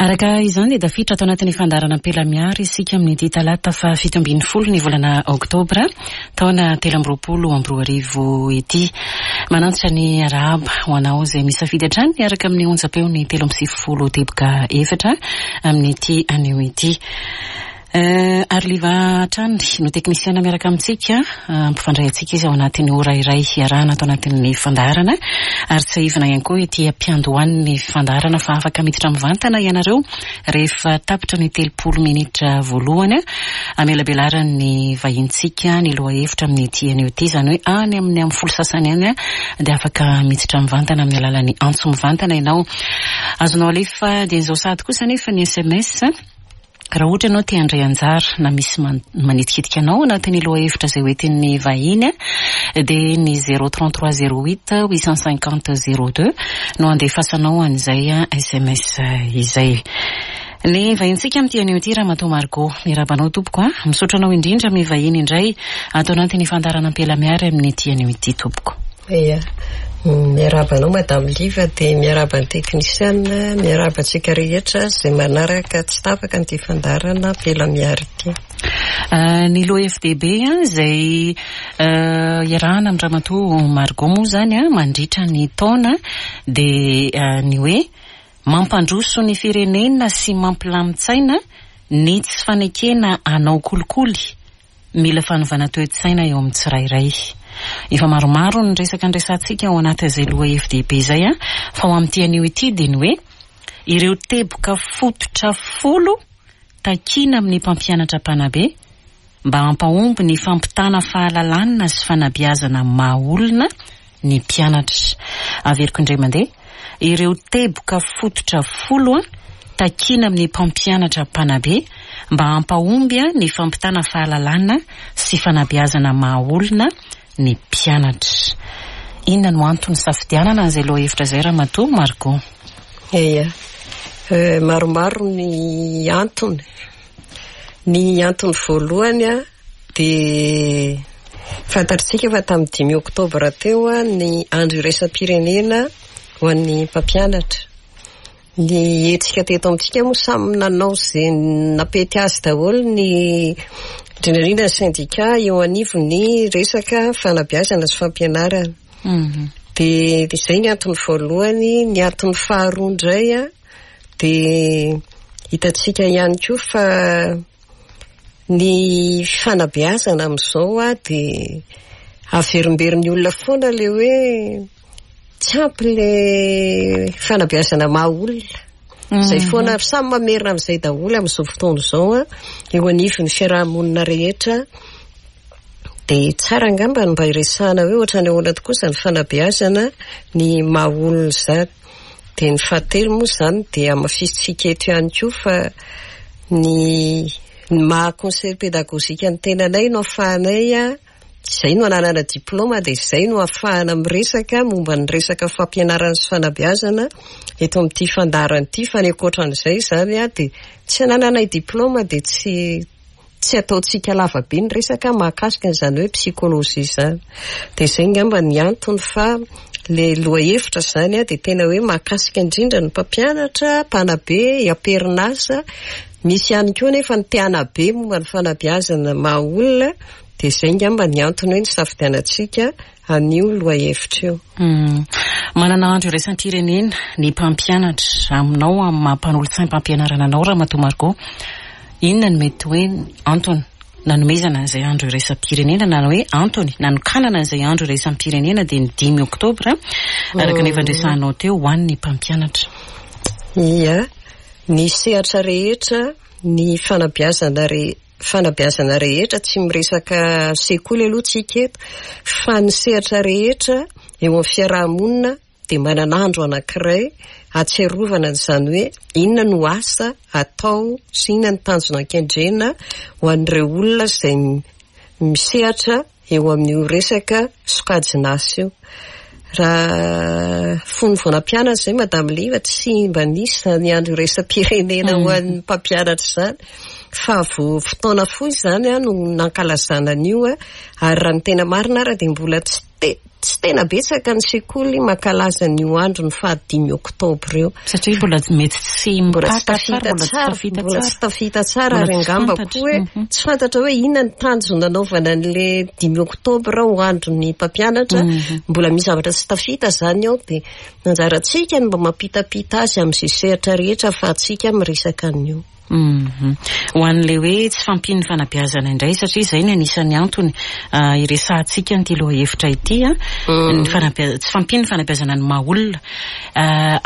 Araka izany dia tafiditra ato anatin'ny fandaharana Ampela-Miary isika amin'ity talata faha 17 ny volana oktobra taona 2023 ity. Manantitra ny arahaba ho anao izay misafidy hatrany miaraka amin'ny onjam-peon'ny 93 teboka efatra amin'ity anio ity. Ariliva hatrany no teknisiana miaraka amintsika, hampifandray antsika izy ao anatin'ny ora iray hiarahana ato anatin'ny fandaharana. Ary tsiahivina ihany koa ety am-piandohan'ny fandaharana fa afaka miditra mivantana ianareo rehefa tapitra ny 30 minitra voalohany hamelabelaran'ny vahintsika ny lohahevitra amin'ity anio ity, izany hoe any amin'ny amin'ny folo sasany any dia afaka miditra mivantana amin'ny alalan'ny antso mivantana ianao. Azonao alefa dieny izao sahady kosa anefa ny sms. Raha ohatra ianao te handray anjara na misy manitikitika anao anatin'ny lohahevitra izay hoentin'ny vahiny dia ny 033 08 850 02 no andefasanao an'izay sms izay. Ny vahintsika amin'ity anio ity Ramatoa Margot. Miarahaba anao tompoko a. Misaotra anao indrindra mivahiny indray ato anatin'ny fandaharana Ampela-Miary amin'ity anio ity tompoko. Ia. Miarahaba anao Madame Liva dia miarahaba ny teknisiana, miarahaba antsika rehetra izay manaraka tsy tapaka an'ity fandaharana Ampela Miary ity. Ny lohahevi-dehibe izay iarahana amin'i Ramatoa Margot moa izany mandritra ny taona dia ny hoe mampandroso ny firenena sy mampilamin-tsaina ny tsy fanekena hanao kolikoly. Mila fanovana toe-tsaina eo amin'ny tsirairay. Efa maromaro ny resaka niresahantsika ao anatin'izay lohahevi-dehibe izay fa ho amin'ity anio ity dia ny hoe ireo teboka fototra folo takiana amin'ny mpampianatra mpanabe mba hampahomby ny fampitana fahalalana sy fanabeazana maha olona ny mpianatra. Averiko indray mandeha, ireo teboka fototra folo takiana amin'ny mpampianatra mpanabe mba hampahomby ny fampitana fahalalana sy fanabeazana maha olona ny mpianatra. Inona no antony nisafidianana an'izay lohahevitra izay Ramatoa Margot? Eia, maromaro ny antony. Ny antony voalohany dia fantatritsika fa tamin'ny dimy oktobra teo ny andro iraisam-pirenena ho an'ny mpampianatra. Ny hetsika teto amintsika moa samy nanao izay nampety azy daholo ny indrindra indrindra ny sendika eo anivon'ny resaka fanabeazana sy fampianarana. Dia izay ny antony voalohany. Ny antony faharoa indray dia hitantsika ihany koa fa Ny fanabeazana amin'izao dia averimberin'ny olona foana ilay hoe tsy ampy ilay fanabeazana maha olona. Izay foana, samy mamerina amin'izay daholo amin'izao fotoana izao eo anivon'ny fiaraha-monina rehetra. Dia tsara angamba ny mba hiresahana hoe ohatran'ny ahoana tokoa izany fanabeazana ny maha olona izany. Dia ny fahatelo moa izany dia hamafisintsika eto ihany koa fa ny ny maha conseil pédagogique ny tenanay no ahafahanay, izay no ananana diplaoma dia izay no ahafahana miresaka momba ny resaka fampianarana sy fanabeazana eto amin'ity fandaharana ity fa ny ankoatran'izay izany dia tsy anananay diplaoma dia tsy Tsy ataontsika lava be ny resaka mahakasika an'izany hoe psychologie izany. Dia izay angamba ny antony fa ilay lohahevitra izany dia tena hoe mahakasika indrindra ny mpampianatra, mpanabe, am-perinasa. Misy ihany koa anefa ny te hanabe momba ny fanabeazana maha olona. Dia izay angamba ny antony hoe nisafidianantsika an'io lohahevitra io. Manana andro iraisam-pirenena ny mpampianatra. Aminao, amin'ny maha mpanolotsaim-pampianarana anao Ramatoa Margot, inona no mety hoe antony nanomezana an'izay andro iraisam-pirenena na hoe antony nanokanana an'izay andro iraisam-pirenena dia ny dimy oktobra araka ny efa niresahanao teo ho an'ny mpampianatra? Ia, ny sehatra rehetra, ny fanabeazana rehetra, fanabeazana rehetra, tsy miresaka sekoly aloha tsika eto, fa ny sehatra rehetra eo amin'ny fiaraha-monina dia manana andro anankiray hahatsiarovana an'izany hoe inona no asa atao sy inona ny tanjona kendrena ho an'ireo olona izay misehatra eo amin'io resaka sokajin'asa io. Raha fony vao nampianatra izay Madame Liva tsy mba nisy izany andro iraisam-pirenena ho an'ny mpampianatra izany fa vao fotoana fohy izany no nankalazana an'io ary raha ny tena marina ara dia mbola tsy te tsy tena betsaka ny sekoly mankalaza an'io andron'ny fahadimy oktobra io. Satria mbola mety tsy Mbola tsy mipaka tsara, tafita mbola tsy tsara, tafita mbola tsy tsara. tafita tsara Mbola ary tsy angamba fantatra. koa hoe tsy fantatra hoe inona ny tanjona nanaovana an'le dimy oktobra ho andron'ny mpampianatra. Mbola misy zavatra tsy tafita izany ao dia anjarantsika ny mba mampitapita azy amin'izay sehatra rehetra ahafahantsika miresaka an'io. Ho an'ilay hoe tsy fahampian'ny fanabeazana indray, satria izay no anisan'ny antony iresahantsika an'ity lohahevitra ity, ny fanabea-, tsy fahampian'ny fanabeazana ny maha olona.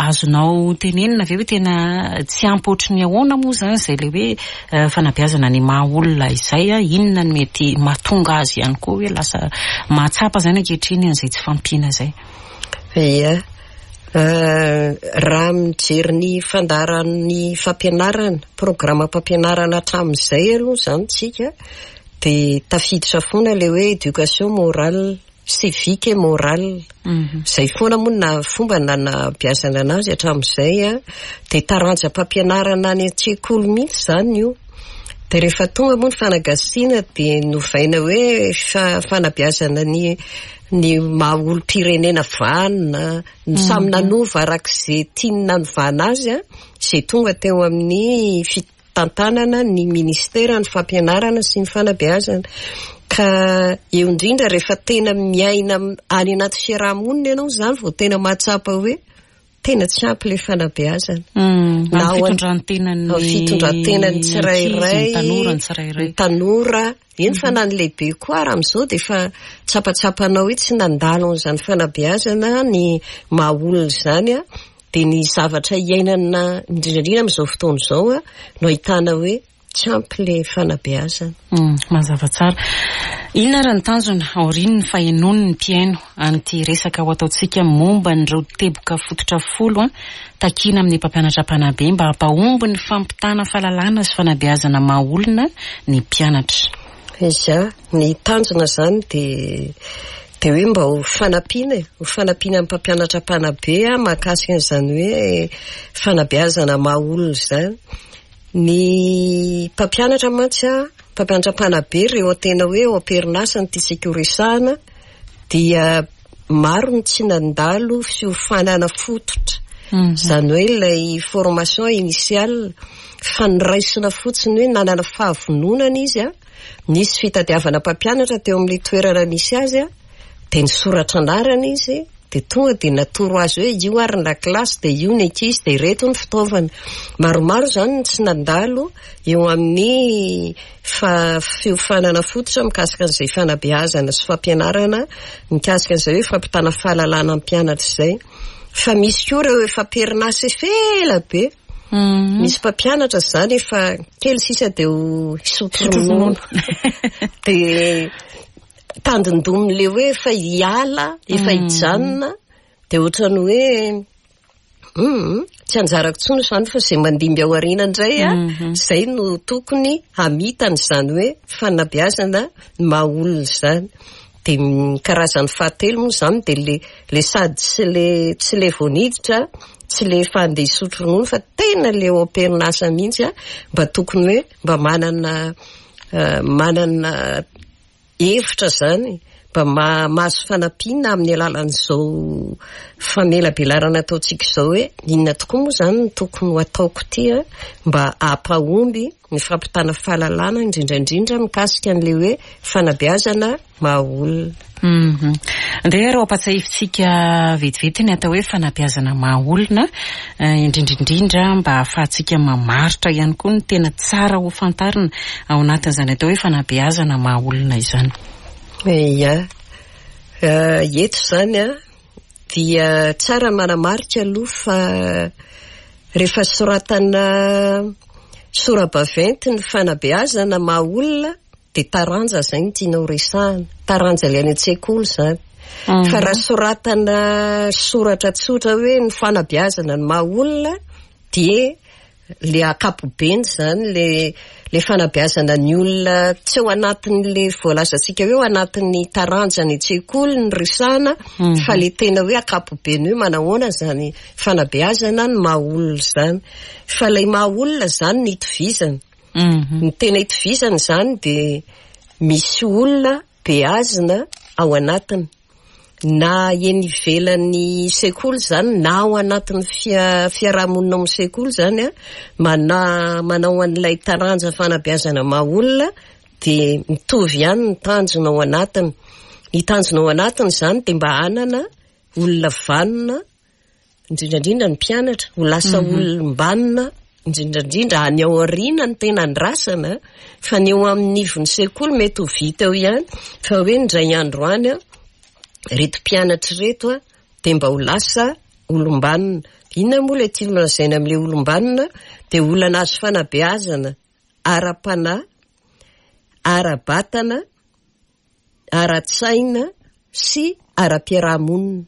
Azonao tenenina ve hoe tena tsy ampy ohatry ny ahoana moa izany izay ilay hoe fanabeazana ny maha olona izay? Inona no mety mahatonga azy ihany koa hoe lasa mahatsapa izany ankehitriny an'izay tsy fahampiana izay? Ia. Raha mijery ny fandaharan'ny fampianarana, programam-pampianarana hatramin'izay aloha izany tsika dia tafiditra foana ilay hoe éducation morale, civique et morale. Izay foana moa na fomba nanabeazana anazy hatramin'izay an, dia taranjam-pampianarana any an-tsekoly mihitsy izany io. Dia rehefa tonga moa ny fanagasiana dia novaina hoe fanabeazana ny ny maha olom-pirenena vanona, ny samy nanova araka izay tiany nanovana azy an, izay tonga teo amin'ny fitantanana ny ministeran'ny fampianarana sy ny fanabeazana. Ka eo indrindra rehefa tena miaina any anaty fiaraha-monina ianao izany vao tena mahatsapa hoe tena tsy ampy ilay fanabeazana. Na ao fitondran-tenan'ny fitondran-tenan'ny tsirairay, ny tanora ny tsirairay. Ny tanora, eny fa na ny lehibe koa ary amin'izao dia efa tsapatsapanao hoe tsy nandalo an'izany fanabeazana ny maha olona izany an, dia ny zavatra iainana indrindra indrindra amin'izao fotoana izao an, no ahitana hoe Tsy ampy le fanabeazana. Mazava tsara. Inona ary ny tanjona aorian'ny fahenoan'ny mpihaino an'ity resaka ho ataontsika momba an'ireo teboka fototra folo takiana amin'ny mpampianatra mpanabe mba hampahomby ny fampitana fahalalana sy fanabeazana maha olona ny mpianatra? Iza, ny tanjona izany dia dia hoe mba ho fanampiana e, ho fanampiana ny mpampianatra mpanabe mahakasika an'izany hoe fanabeazana maha olona izany. Ny mpampianatra mantsy an, mpampianatra mpanabe ireo tena hoe eo am-perinasa no tiantsika ho resahana dia maro ny tsy nandalo fiofanana fototra. Izany hoe ilay formation initiale fa noraisina fotsiny hoe nanana fahavononana izy an, nisy fitadiavana mpampianatra teo amin'ilay toerana nisy azy an, dia nisoratra anarana izy. Dia tonga dia natoro azy hoe io ary ny lakilasy dia io ny ankizy dia ireto ny fitaovana. Maromaro izany ny tsy nandalo eo amin'ny fiofanana fototra mikasika an'izay fanabeazana sy fampianarana mikasika an'izay hoe fampitana fahalalana amin'ny mpianatra izay. Fa misy koa ireo efa am-perinasa efa ela be. Misy mpampianatra izany efa kely sisa dia ho hisotro ronono. Dia tandindomin'ilay hoe efa hiala, efa hijanona, dia ohatran'ny hoe hum, tsy anjarako intsony izany fa izay mandimby ao aoriana indray an, izay no tokony hamita an'izany hoe fanabeazana ny maha olona izany. Dia ny karazany fahatelo moa izany dia ilay ilay sady tsy ilay tsy ilay vao niditra, tsy ilay efa handeha hisotro ronono fa tena ilay eo am-perinasa mihitsy an, mba tokony hoe mba manana manana hevitra izany mba mahazo fanampiana amin'ny alalan'izao famelabelarana ataontsika izao hoe inona tokoa moa izany no tokony ho ataoko ity mba hampahomby ny fampitana fahalalana indrindra indrindra mikasika an'ilay hoe fanabeazana maha olona. Andeha ary ho ampatsiahivintsika vetivety ny atao hoe fanabeazana maha olona, indrindra indrindra mba hahafahantsika mamaritra ihany koa ny tena tsara ho fantarina ao anatin'izany atao hoe fanabeazana maha olona izany. Ia. Eto izany an, dia tsara ny manamarika aloha fa rehefa soratana sora-baventy ny fanabeazana maha olona dia taranja izay no tiana ho resahana, taranja ilay any an-tsekoly izany. Fa raha soratana soratra tsotra hoe ny fanabeazana ny maha olona dia le ankapobeny izany, le le fanabeazana ny olona tsy ao anatin'le voalazantsika hoe ao anatin'ny taranja any an-tsekoly no resahana fa le tena hoe ankapobeny hoe manahoana izany fanabeazana ny maha olona izany. Fa ilay maha olona izany no itovizana. Ny tena itovizana izany dia misy olona beazina ao anatiny. Na eny ivelan'ny sekoly izany na ao anatin'ny fiaraha-monina ao amin'ny sekoly izany an, manao an'ilay taranja fanabeazana maha olona dia mitovy ihany ny tanjona ao anatiny. Ny tanjona ao anatiny izany dia mba hanana olona vanona, indrindra indrindra ny mpianatra, ho lasa olom-banona, indrindra indrindra any aoriana no tena andrasana, fa ny eo amin'ny ivon'ny sekoly mety ho vita eo ihany, fa hoe indray andro any an, ireto mpianatra ireto an, dia mba ho lasa olom-banona. Inona moa ilay tiana lazaina amin'ilay olom-banona? Dia olona nahazo fanabeazana ara-panahy, ara-batana, ara-tsaina sy ara-piaraha-monina.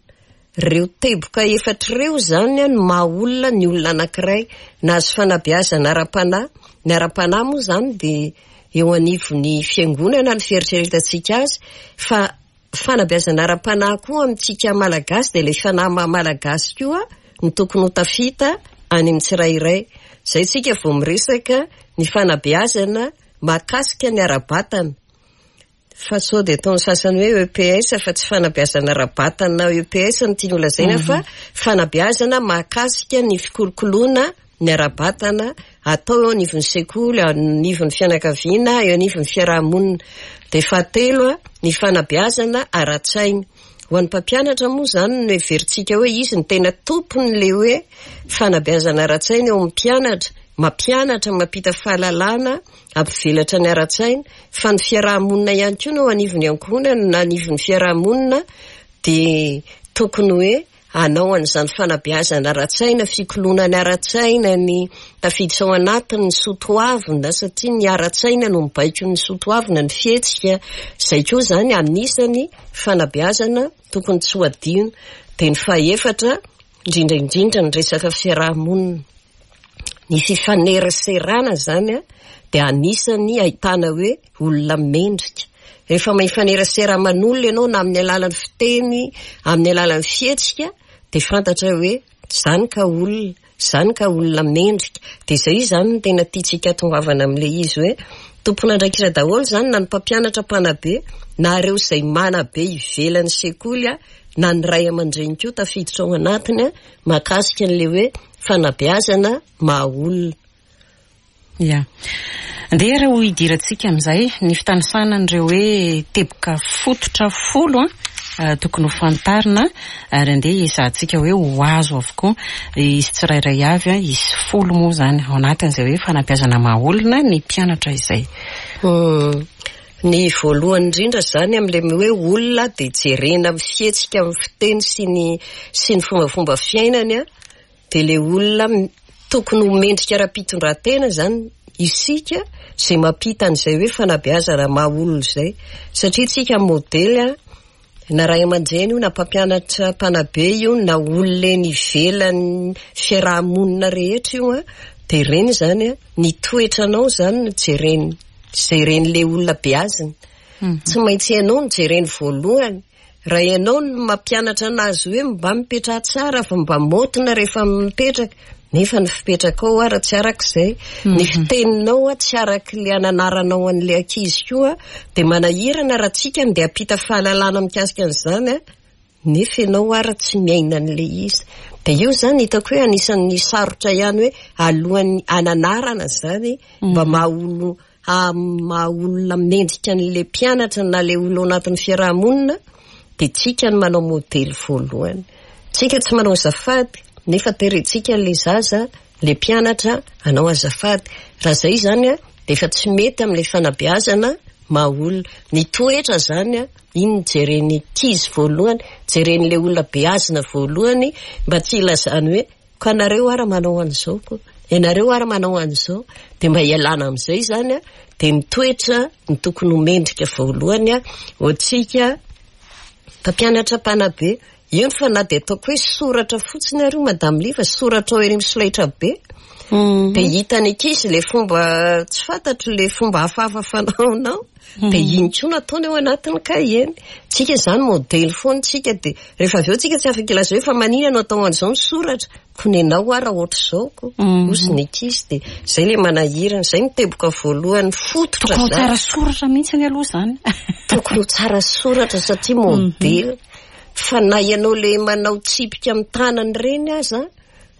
Ireo teboka efatra ireo izany no maha olona ny olona anankiray. Nahazo fanabeazana ara-panahy. Ny ara-panahy moa izany dia eo anivon'ny fiangonana ny fieritreretantsika azy fa fanabeazana ara-panahy koa amintsika Malagasy dia ilay fanahy maha Malagasy koa no tokony ho tafita any amin'ny tsirairay. Izay isika vao miresaka ny fanabeazana mahakasika ny ara-batana. Fa sao dia ataon'ny sasany hoe EPS fa tsy fanabeazana ara-batana EPS no tiany holazaina fa fanabeazana mahakasika ny fikolokoloana ny ara-batana atao eo anivon'ny sekoly, anivon'ny fianakaviana, eo anivon'ny fiaraha-monina. Dia fahatelo, ny fanabeazana ara-tsaina. Ho an'ny mpampianatra moa izany no heverintsika hoe izy no tena tompon'ilay hoe fanabeazana ara-tsaina eo amin'ny mpianatra, mampianatra, mampita fahalalana, hampivelatra ny ara-tsaina, fa ny fiaraha-monina ihany koa no eo anivon'ny ankohonana na anivon'ny fiaraha-monina dia tokony hoe hanao an'izany fanabeazana ara-tsaina, fikoloana ny ara-tsaina, ny tafiditra ao anatiny ny soa toavina satria ny ara-tsaina no mibaiko ny soa toavina, ny fihetsika, izay koa izany anisany fanabeazana tokony tsy ho adino. Dia ny fahefatra, indrindra indrindra ny resaka fiaraha-monina. Ny fifaneraserana izany dia anisan'ny ahitana hoe olona mendrika. Rehefa mifanerasera aman'olona ianao na amin'ny alalan'ny fiteny, amin'ny alalan'ny fihetsika dia fantatra hoe izany ka olona, izany ka olona mendrika. Dia izay izany no tena tiantsika hatongavana amin'ilay izy hoe tompon'andraikitra daholo izany na ny mpampianatra mpanabe na ireo izay manabe ivelan'ny sekoly na ny ray aman-dreny koa tafiditra ao anatiny mahakasika an'ilay hoe fanabeazana maha olona. Ya. Andeha ary ho hidirantsika amin'izay ny fitanisana an'ireo hoe teboka fototra folo an, tokony ho fantarina ary andeha hiezahantsika hoe ho azo avokoa izy tsirairay avy an, izy folo moa izany ao anatin'izay hoe fanabeazana maha olona ny mpianatra izay. Ny voalohany indrindra izany amin'ilay hoe olona dia jerena amin'ny fihetsika, amin'ny fiteny sy ny sy ny fombafomba fiainany an, dia ilay olona tokony ho mendrika ara-pitondran-tena izany isika izay mampita an'izay hoe fanabeazana maha olona izay. Satria isika modely an, na ray aman-dreny io na mpampianatra mpanabe io na olona eny ivelan'ny fiaraha-monina rehetra io an, dia ireny izany an, ny toetranao izany no jereny, jeren'ilay olona beazina. Tsy maintsy ianao no jereny voalohany. Raha ianao no mampianatra anazy hoe mba mipetraha tsara fa mba maotina rehefa mipetraka, nefa ny fipetrakao ara tsy araka izay, ny fiteninao tsy araka ilay ananaranao an'ilay ankizy koa, dia manahirana raha tsika no dia hampita fahalalana mikasika an'izany an, nefa ianao ara tsy miaina an'ilay izy. Dia io izany hitako hoe anisan'ny sarotra ihany hoe alohan'ny hananarana izany mba maha olo maha olona mendrika an'ilay mpianatra na ilay olona ao anatin'ny fiaraha-monina dia tsika no manao modely voalohany. Tsika tsy manao azafady nefa terentsika ilay zaza, ilay mpianatra hanao azafady. Raha izay izany dia efa tsy mety amin'ilay fanabeazana maha olona. Ny toetra izany, iny no jeren'ny ankizy voalohany, jeren'ilay olona beazina voalohany mba tsy hilazany hoe Ka nareo ara manao an'izao ko, ianareo ara manao an'izao, dia mba hialana amin'izay izany an, dia ny toetra no tokony ho mendrika voalohany an, ho antsika mpampianatra mpanabe, eny fa na dia ataoko hoe soratra fotsiny ary io Madame Liva, soratra ao ery amin'ny solaitra be, dia hitan'ny ankizy ilay fomba tsy fantatro ilay fomba hafahafa fanaonao. Dia iny koa no ataony ao anatin'ny kahie-ny. Tsika izany modely foana tsika dia rehefa avy eo tsika tsy afaka hilaza hoe fa maninona no atao an'izao ny soratra, ko nenao ara ohatr'izao ko, hozy ny ankizy dia izay ilay manahirana, izay no teboka voalohany fototra izany. Tokony ho tsara soratra mihitsy aloha izany. Tokony ho tsara soratra satria modely. Fa na ianao le manao tsipika amin'ny tanana ireny aza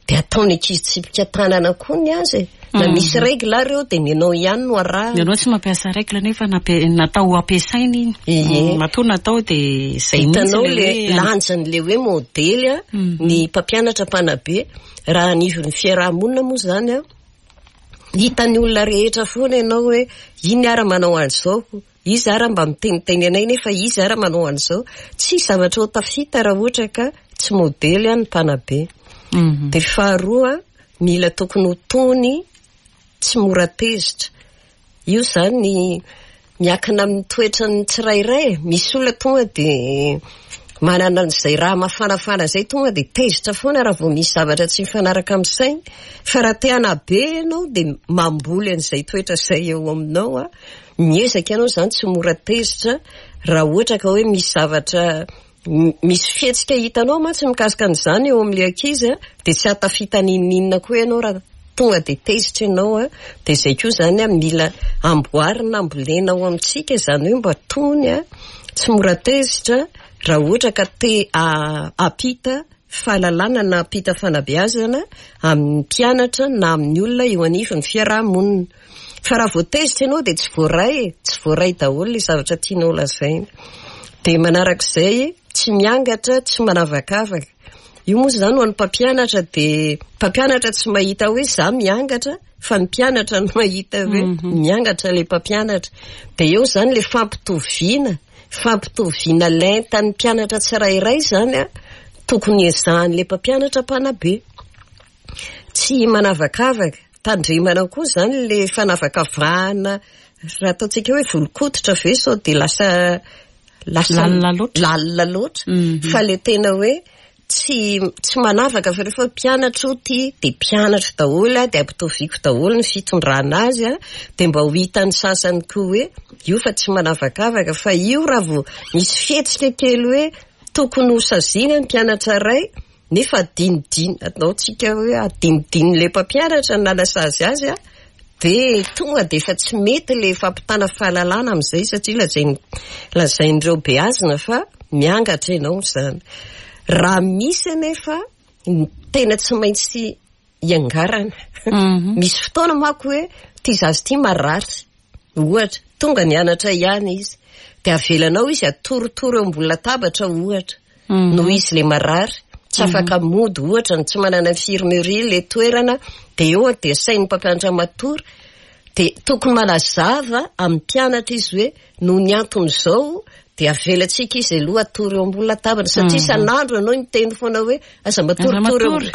dia ataon'ny ankizy tsipika tanana koa ny azy e. Na misy règle ary eo dia ny anao ihany no arahana. Ianao tsy mampiasa règle nefa natao ho ampiasaina iny. Ie. Matoa natao dia izay mihitsy Hitanao le le hoe lanjan'le hoe modely a, ny mpampianatra mpanabe raha anivon'ny fiaraha-monina moa izany a, hitan'ny olona rehetra foana ianao hoe iny ara manao an'izao, izy ara mba miteniteny anay nefa izy ara manao an'izao. Tsy zavatra ho tafita raha ohatra ka tsy modely ny mpanabe. Dia faharoa, mila tokony ho tony, tsy mora tezitra. Io izany miankina amin'ny toetran'ny tsirairay. Misy olona tonga dia manana an'izay raha mafanafana izay tonga dia tezitra foana raha vao misy zavatra tsy mifanaraka amin'ny sainy. Fa raha te hanabe ianao dia mamboly an'izay toetra izay eo aminao a. Miezaka ianao izany tsy mora tezitra raha ohatra ka hoe misy zavatra misy fihetsika hitanao mantsy mikasika an'izany eo amin'ilay ankizy a, dia tsy hahatafita n'inon'inona koa ianao raha tonga dia tezitra ianao a. Dia izay koa izany a, mila amboarina, ambolena ao amintsika izany hoe mba tony a, tsy mora tezitra raha ohatra ka te hampita fahalalana na hampita fanabeazana amin'ny mpianatra na amin'ny olona eo anivon'ny fiaraha-monina. Fa raha vao tezitra ianao dia tsy voaray e, tsy voaray daholo ilay zavatra tianao lazaina. Dia manarak'izay, tsy miangatra, tsy manavakavaka. Io moa izany ho an'ny mpampianatra dia mpampianatra tsy mahita hoe za miangatra fa ny mpianatra no mahita hoe miangatra ilay mpampianatra. Dia eo izany ilay fampitoviana, fampitoviana lentan'ny mpianatra tsirairay izany a, tokony ezahan'ilay mpampianatra mpanabe. Tsy manavakavaka, tandremana koa izany ilay fanavakavahana raha ataontsika hoe volon-koditra ve sao dia lasa lasa Lalina loatra. lalina loatra. Fa ilay tena hoe tsy tsy manavaka fa rehefa mpianatra io ty dia mpianatra daholo a, dia ampitoviako daholo ny fitondrana azy a, dia mba ho hitan'ny sasany koa hoe io fa tsy manavakavaka fa io raha vao misy fihetsika kely hoe tokony ho saziana ny mpianatra iray nefa adinodino, ataontsika hoe adinodinon'ilay mpampianatra ny nanasazy azy a, dia tonga dia efa tsy mety ilay fampitana fahalalana amin'izay satria lazain'ireo beazina fa miangatra ianao izany. Raha misy anefa ny tena tsy maintsy iangarana. Misy fotoana manko hoe ity zaza ity marary, ohatra, tonga nianatra ihany izy, dia avelanao izy atorotoro eo ambony latabatra ohatra, noho izy ilay marary, tsy afaka mody ohatra, tsy manana infirmerie ilay toerana, dia eo dia asain'ny mpampianatra matory, dia tokony manazava amin'ny mpianatra izy hoe noho ny anton'izao dia avelantsika izy aloha hatory eo ambony latabatra, satria isan'andro ianao miteny foana hoe aza matoritory eo ambony.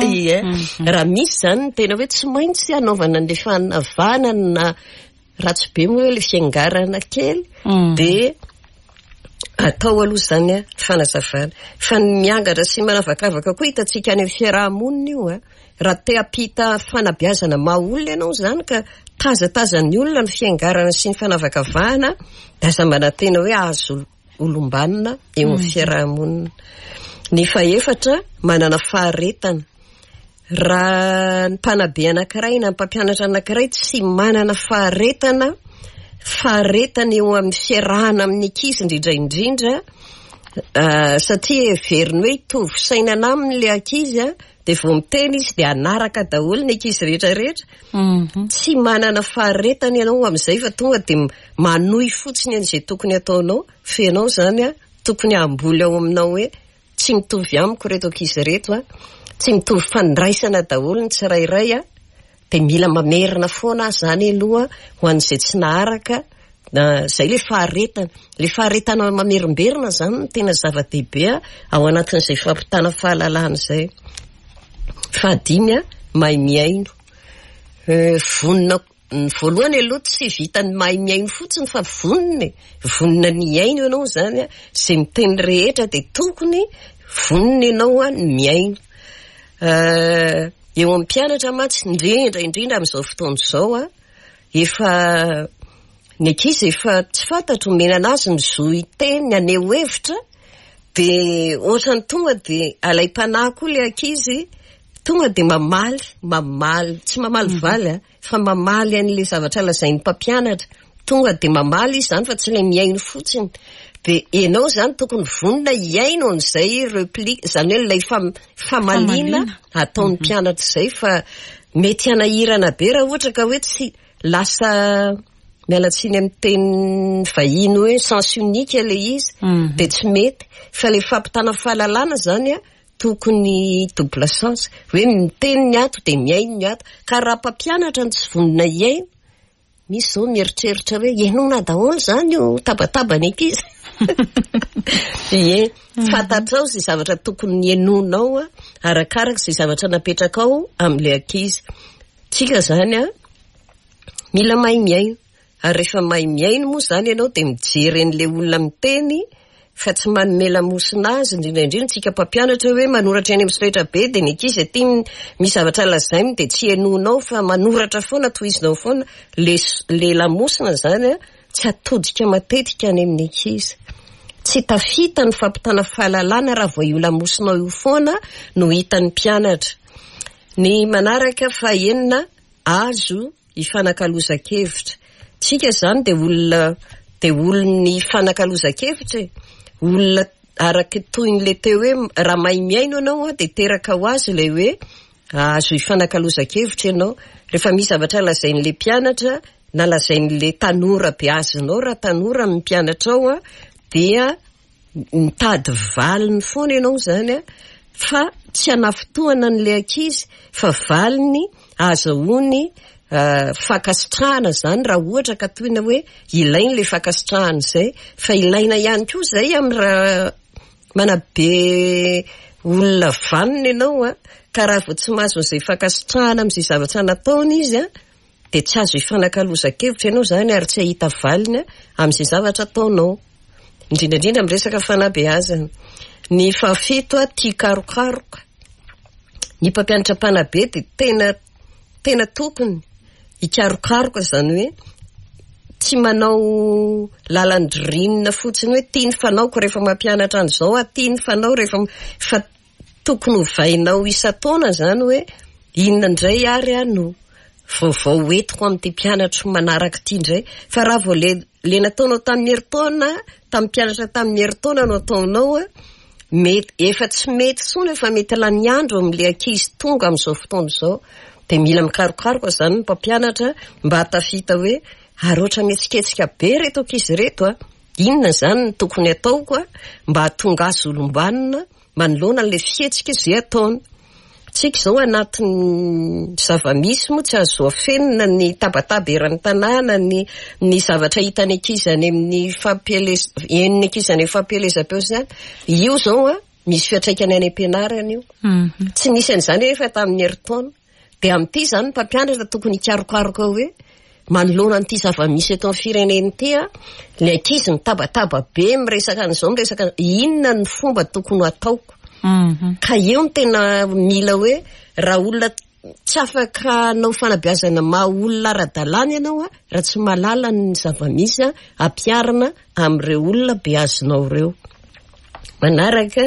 Ie. Raha misy izany ny tena hoe tsy maintsy hanaovana an'ilay fanavanana na ratsy be moa hoe ilay fiangarana kely, dia atao aloha izany a, fanazavana. Fa ny miangatra sy manavakavaka koa hitantsika any amin'ny fiaraha-monina io a. Raha te hampita fanabeazana maha olona ianao izany ka tazatazan'ny olona ny fiangarana sy ny fanavakavahana, dia aza manantena hoe hahazo olom-banona eo amin'ny fiaraha-monina. Ny fahefatra, manana faharetana. Raha ny mpanabe anankiray na ny mpampianatra anankiray tsy manana faharetana, faharetana eo amin'ny fiarahana amin'ny ankizy indrindra indrindra, satria heveriny hoe hitovy sainana aminy ilay ankizy a, dia vao miteny izy dia hanaraka daholo ny ankizy rehetra rehetra. Tsy manana faharetana ianao amin'izay fa tonga dia manohy fotsiny an'izay tokony hataonao, fa ianao izany a, tokony hamboly ao aminao hoe tsy mitovy amiko ireto ankizy ireto a, tsy mitovy fandraisana daholo ny tsirairay a, dia mila mamerina foana aho izany aloha ho an'izay tsy naharaka, na izay ilay faharetana. Ilay faharetana mamerimberina izany no tena zava-dehibe ao anatin'izay fampitana fahalalana izay. Fahadimy a, mahay mihaino. Vonona, ny voalohany aloha tsy vitan'ny mahay mihaino fotsiny fa vonona e. Vonona ny hihaino ianao izany a, izay miteny rehetra dia tokony vonona ianao ny mihaino. Eo amin'ny mpianatra mantsy, indrindra indrindra amin'izao fotoana izao a, efa ny ankizy efa tsy fantatro omena anazy ny zo hiteny, ny haneho hevitra, dia ohatran'ny tonga dia alaim-panahy koa ilay ankizy, tonga dia mamaly, mamaly, tsy mamaly valy a, fa mamaly an'ilay zavatra lazain'ny mpampianatra. Tonga dia mamaly izy izany fa tsy ilay mihaino fotsiny. Dia ianao izany tokony vonona hihaino an'izay replique, izany hoe ilay famaliana ataon'ny mpianatra izay fa mety hanahirana be raha ohatra ka hoe tsy lasa, miala tsiny amin'ny teny vahiny hoe sens unique ilay izy, dia tsy mety. Fa ilay fampitana fahalalana izany an, tokony double sens, hoe miteny ny ato dia mihaino ny ato. Ka raha mpampianatra no tsy vonona hihaino, Misy izao mieritreritra hoe henoina daholo izany io tabataban'ny ankizy. Ie, fantatrao izay zavatra tokony henoinao arakaraka izay zavatra napetrakao amin'ilay ankizy. Tsika izany an, mila mahay mihaino. Ary rehefa mahay mihaino moa izany ianao dia mijery an'ilay olona miteny fa tsy manome lamosina azy, indrindra indrindra tsika mpampianatra hoe manoratra eny amin'ny solaitra be dia ny ankizy aty misy zavatra lazainy dia tsy henoinao fa manoratra foana, tohizinao foana, le le lamosina izany an, tsy atodika matetika any amin'ny ankizy. Tsy tafita ny fampitana fahalalana raha vao io lamosinao io foana no hitan'ny mpianatra. Ny manaraka fahenina, azo ifanakalozan-kevitra. Tsika izany dia olona dia olon'ny ifanakalozan-kevitra e. Olona araka toy ny le teo hoe raha mahay mihaino ianao dia teraka ho azy ilay hoe azo ifanakalozan-kevitra ianao. Rehefa misy zavatra lazain'ilay mpianatra na lazain'ilay tanora beazinao raha tanora ny mpianatrao dia mitady valiny foana ianao izany an, fa tsy hanafintohana an'ilay ankizy fa valiny ahazahoany fankasitrahana izany raha ohatra ka tohina hoe ilainy ilay fankasitrahana izay, fa ilaina ihany koa izay amin'ny raha manabe olona vanona ianao an, ka raha vao tsy mahazo an'izay fankasitrahana amin'izay zavatra nataony izy an, dia tsy azo ifanakalozan-kevitra ianao izany ary tsy hahita valiny amin'izay zavatra ataonao. Indrindra indrindra amin'ny resaka fanabeazana. Ny fahafito, tia karokaroka. Ny mpampianatra mpanabe dia tena tena tokony hikarokaroka izany hoe tsy manao lalan-dririnina fotsiny hoe tia ny fanaoko rehefa mampianatra an'izao aho, tia ny fanao rehefa fa Tokony hovainao isan-taona izany hoe inona indray ary aho no vaovao hoentiko amin'ity mpianatro manaraka ity indray. Fa raha vao le le nataonao tamin'ny herintaona, tamin'ny mpianatra tamin'ny herintaona no ataonao an, mety efa tsy mety intsony, efa mety lany andro amin'ilay ankizy tonga amin'izao fotoana izao. Dia mila mikarokaroka izany ny mpampianatra mba hahatafita hoe ary ohatra mihetsiketsika be ireto ankizy ireto an, inona izany no tokony hataoko mba hahatonga azy olom-banona manoloana an'ilay fihetsika izay ataony. Tsika izao anatin'ny zava-misy moa tsy azo afenina ny tabataba eran'ny tanàna, ny ny zavatra hitan'ny ankizy any amin'ny fampielez- henon'ny ankizy any amin'ny fampielezam-peo sy ny any. Io izao an, misy fiantraikany any am-pianarana io. Tsy nisy an'izany anefa tamin'ny herintaona. Dia amin'ity izany ny mpampianatra tokony hikarokaroka hoe manoloana an'ity zava-misy eto amin'ny firenena ity an, ny ankizy mitabataba be miresaka an'izao miresaka inona ny fomba tokony ho ataoko. Ka eo no tena mila hoe raha olona tsy afaka hanao fanabeazana maha olona ara-dalàna ianao an, raha tsy mahalala ny zava-misy an, ampiharina amin'ireo olona beazinao ireo. Manaraka,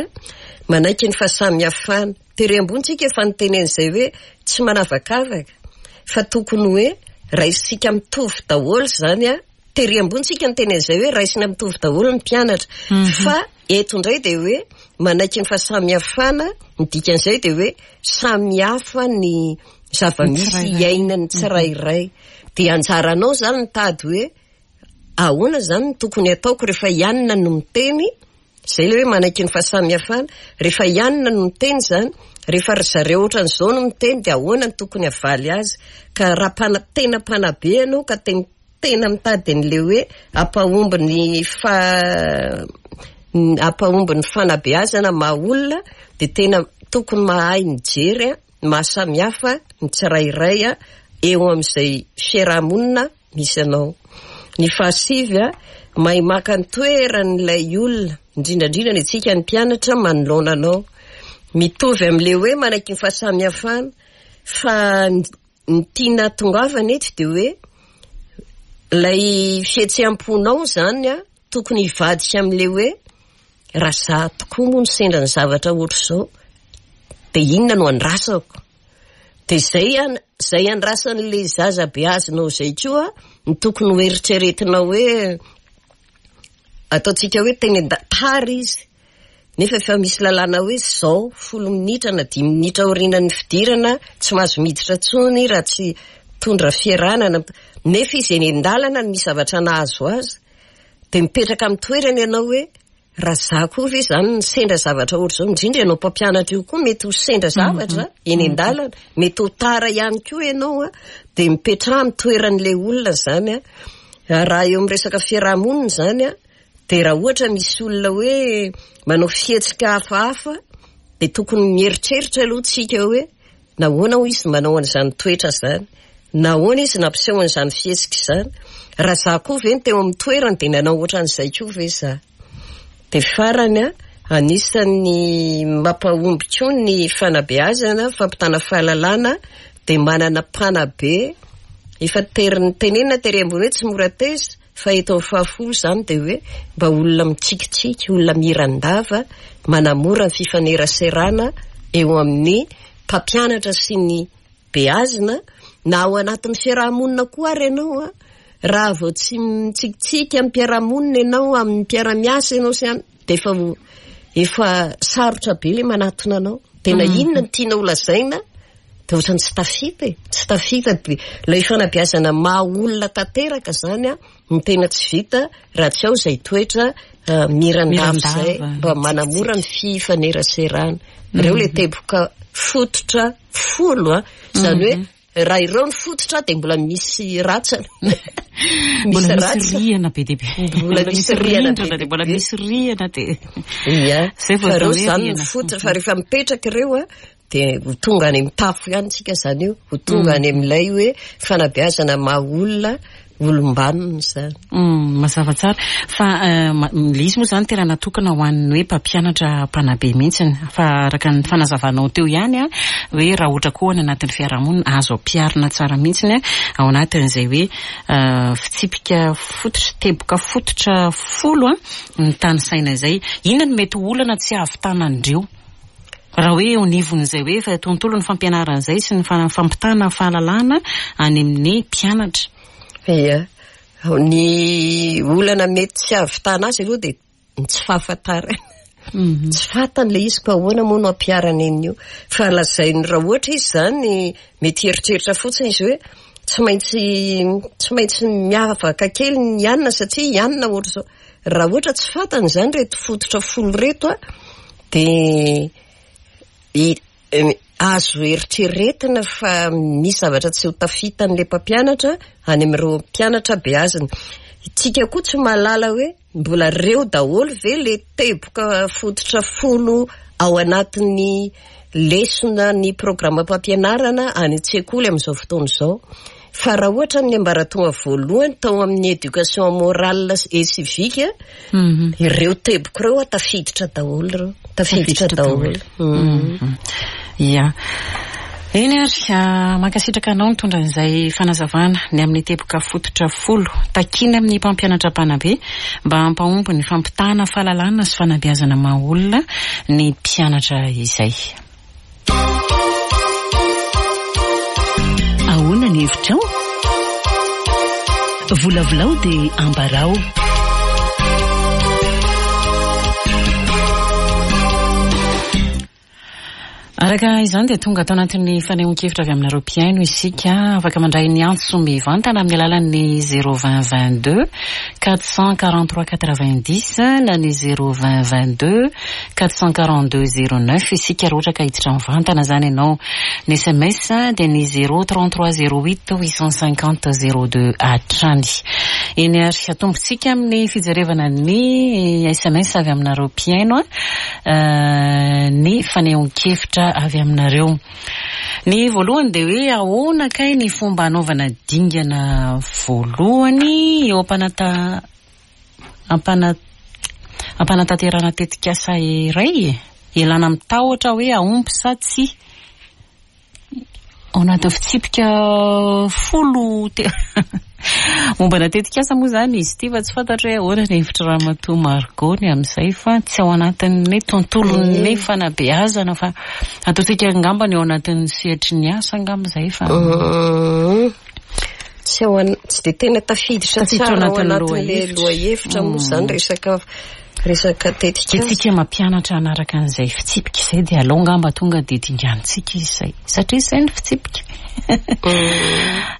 manaiky ny fahasamihafana. Tery ambony tsika efa niteny an'izay hoe tsy manavakavaka fa tokony hoe raisintsika mitovy daholo izany an, tery ambony tsika niteny an'izay hoe raisina mitovy daholo ny mpianatra fa eto indray dia hoe manaiky ny fahasamihafana, ny dikan'izay dia hoe samy hafa ny zava-misy iainan'ny tsirairay. Dia anjaranao izany mitady hoe ahoana izany no tokony hataoko rehefa i Anna no miteny, Izay ilay hoe manaiky ny fahasamihafana. Rehefa i Anna no miteny izany, rehefa ry zareo ohatran'izao no miteny dia ahoana no tokony havaly azy. Ka raha mpana- tena mpanabe ianao ka tena tena mitady an'ilay hoe hampahomby ny fa- hampahomby ny fanabeazana maha olona dia tena tokony mahay mijery ny maha samihafa ny tsirairay eo amin'izay fiarahamonina misy anao. Ny fahasivy, mahay maka ny toeran'ilay olona, indrindra indrindra ny antsika ny mpianatra manoloana anao. Mitovy amin'ilay hoe manaiky ny fahasamihafana, fa ny tiana hatongavana eto dia hoe ilay fihetseham-ponao izany tokony hivadika amin'ilay hoe raha izaho tokoa moa no sendra ny zavatra ohatr'izao dia inona no andrasako? Dia izay an, izay andrasan'ilay zaza beazinao izay koa no tokony ho eritreretinao hoe. ataontsika hoe teny an-da- tara izy, nefa efa misy lalàna hoe zao folo minitra na dimy minitra aorianan'ny fidirana tsy mahazo miditra intsony raha tsy mitondra fiarahana na, nefa izy eny an-dalana no misy zavatra nahazo azy, dia mipetraka amin'ny toerany ianao hoe Raha za koa ve zany no sendra zavatra ohatr'izao, indrindra ianao mpampianatra io koa mety ho sendra zavatra eny an-dalana, mety ho tara ihany koa ianao an, dia mipetraha amin'ny toeran'ilay olona zany an. Raha eo amin'ny resaka fiaraha-monina izany an, dia raha ohatra misy olona hoe manao fihetsika hafahafa dia tokony mieritreritra aloha tsika hoe Nahoana hoy izy manao an'izany toetra izany? Nahoana izy nampiseho an'izany fihetsika izany? Raha izaho koa ve no teo amin'ny toerany dia nanao ohatran'izay koa ve izaho? Dia farany, anisan'ny mampahomby koa ny fanabeazana, fampitana fahalalana, dia manana mpanabe, efa tery tenenina tery ambony hoe tsy mora teza, Fa eto amin'ny fahafolo izany dia hoe mba olona mitsikitsiky, olona miran-dava, manamora ny fifaneraserana eo amin'ny mpampianatra sy ny beazina, na ao anatin'ny fiaraha-monina koa ary ianao an, raha vao tsy mitsikitsiky amin'ny mpiara-monina ianao, amin'ny mpiara-miasa ianao sy any, dia efa efa sarotra be ilay manatona anao. Dia na inona no tianao holazaina, dia ohatran'ny tsy tafita e, tsy tafita dia ilay fanabeazana maha olona tanteraka izany an, no tena tsy vita raha tsy ao izay toetra miran-dava izay mba manamora ny fifaneraserana. Ireo ilay teboka fototra folo an, izany hoe raha ireo ny fototra dia mbola misy ratsana. Mbola misy rihana be dia be. Mbola misy rihana be dia be. Mbola misy rihana dia. Ia, fa ireo izany ny fototra fa rehefa mipetraka ireo an, Dia ho tonga any amin'ny tafo ihany tsika izany io, ho tonga any amin'ilay hoe fanabeazana maha olona, olom-banona izany. Mazava tsara. Fa ilay izy moa izany tena natokana ho an'ny hoe mpampianatra mpanabe mihitsy. Fa araka ny fanazavanao teo ihany an, hoe raha ohatra koa any anatin'ny fiarahamonina azo ampiharina tsara mihitsy ao anatin'izay hoe fitsipika fototra, teboka fototra folo an, ny tanisaina izay. Inona no mety ho olana tsy hahavitana an'ireo? Raha hoe eo anivon'izay hoe tontolon'ny fampianarana izay sy ny fampitana fahalalana any amin'ny mpianatra. Ia. Ny olana mety tsy hahavitana azy aloha dia ny tsy fahafantarana. Tsy fantany ilay izy ka ahoana moa no hampiharana an'io. Fa lazainy raha ohatra izy izany mety hieritreritra fotsiny izy hoe tsy maintsy tsy maintsy miavaka kely ny anona satria i anona ohatr'izao. Raha ohatra tsy fantany izany ireto fototra folo ireto an, dia azo eritreretina fa misy zavatra tsy ho tafitan'ilay mpampianatra any amin'ireo mpianatra beazina. Isika koa tsy mahalala hoe mbola ireo daholo ve ilay teboka fototra folo ao anatin'ny lesona ny programam-pampianarana any an-tsekoly amin'izao fotoana izao. Fa raha ohatra amin'ny ambaratonga voalohany tao amin'ny éducation morale et civique, ireo teboka ireo tafiditra daholo ireo, tafiditra daholo. Ia. Eny ary, mankasitraka anao nitondra an'izay fanazavana ny amin'ny teboka fototra folo takiana amin'ny mpampianatra mpanabe mba hampahomby ny fampitana fahalalana sy fanabeazana maha olona ny mpianatra izay. Ahoana ny hevitrao? Volavolao dia ambarao. Araka izany dia tonga ato anatin'ny fanehoan-kevitra avy aminareo mpihaino isika. Afaka mandray ny antso mivantana amin'ny alalan'ny 020 22 443 90 na ny 020 22 442 09 isika raha ohatra ka hiditra mivantana izany ianao. Ny sms dia ny 033 08 850 02 hatrany. Eny ary atombontsika amin'ny fijerevana ny sms avy aminareo mpihaino ny fanehoan-kevitra avy aminareo. Ny voalohany dia hoe ahoana kay ny fomba hanaovana dingana voalohany eo am-panata Ampanatanterahana tetikasa iray e! Ialana amin'ny tahotra hoe hahomby sa tsia. Ao anatin'ny fitsipika folo mombana tetikasa moa izany izy ity fa tsy fantatro hoe ahoana ny hevitr'i Ramatoa Margot ny amin'izay fa tsy ao anatin'ny tontolon'ny fanabeazana fa ataontsika angamba ny ao anatin'ny sehatry ny asa angamba izay fa. Tsy ao an, tsy dia tena tafiditra Tafiditra tsara ao anatin'ny anatin'ilay lohahevitra. lohahevitra moa izany resaka resaka Dia tetikasa. tsika mampianatra hanaraka an'izay fitsipika izay dia aleo angamba tonga dia dinganintsika izy izay. Satria izay ny fitsipika.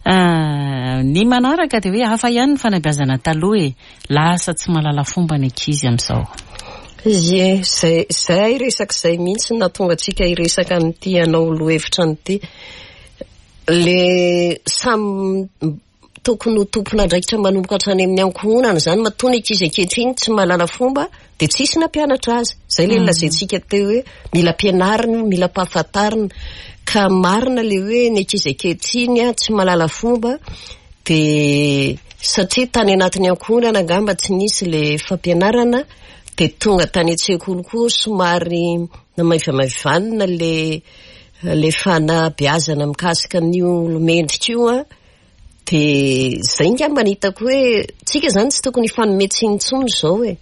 Ah, ny manaraka dia hoe hafa ihany ny fanabeazana taloha e. Lasa tsy mahalala fomba ny ankizy amin'izao. Ie, zay zay resaka izay mihitsy no nahatonga antsika hiresaka an'ity hanao lohahevitra an'ity. Le samy tokony ho tompon'andraikitra manomboka hatrany amin'ny ankohonana izany matoa ny ankizy ankehitriny tsy mahalala fomba dia tsisy nampianatra azy. Izay ilay nolazaintsika teo hoe mila ampianarina io, mila ampahafantarina. Ka marina ilay hoe ny ankizy ankehitriny a, tsy mahalala fomba dia satria tany anatin'ny ankohonana angamba tsy nisy ilay fampianarana dia tonga tany an-tsekoly koa somary namaivamaivanina ilay ilay fanabeazana mikasika an'io olo-mendrika io a. Dia izay angamba no hitako hoe tsika izany tsy tokony hifanome tsiny intsony izao e.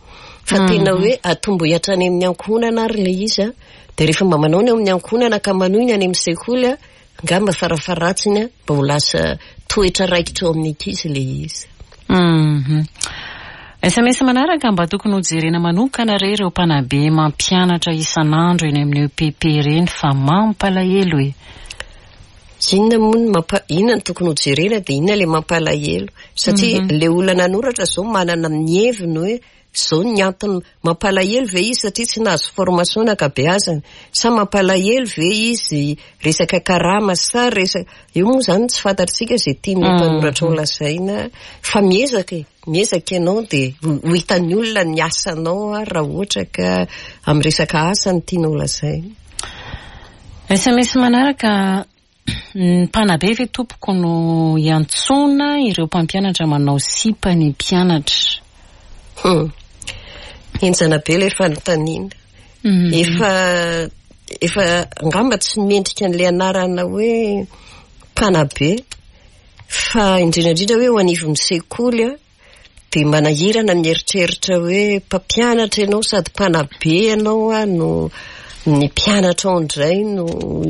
Fa tena hoe atombohy hatrany amin'ny ankohonana ary ilay izy a. Dia rehefa mba manao ny ao amin'ny ankohonana ka manohy ny any amin'ny sekoly a, angamba farafaharatsiny a, mba ho lasa toetra raikitra ao amin'ny ankizy ilay izy. Mhm. SMS manaraka mba tokony ho jerena manokana re ireo mpanabe mampianatra isan'andro eny amin'ny EPP ireny fa mampalahelo e. Inona moa no mampa, inona no tokony ho jerena dia inona ilay mampalahelo? Satria ilay olona nanoratra izao manana ny heviny hoe izao ny antony mampalahelo ve izy satria tsy nahazo formation ankabeazany sa mampalahelo ve izy resaka karama sa resaka, io moa izany tsy fantatritsika izay tian'ilay mpanoratra ho lazaina fa miezaka e, miezaka ianao dia ho hitan'ny olona ny asanao ary raha ohatra ka amin'ny resaka asa no tianao lazaina. SMS manaraka, Ny mpanabe ve tompoko no iantsoana ireo mpampianatra manao sipa ny mpianatra? Hum. Henjana be ilay fanontaniana. Efa efa angamba tsy mendrika an'ilay anarana hoe mpanabe fa indrindra indrindra hoe eo anivon'ny sekoly a. Dia manahirana ny mieritreritra hoe mpampianatra ianao sady mpanabe ianao a no ny mpianatra ao indray no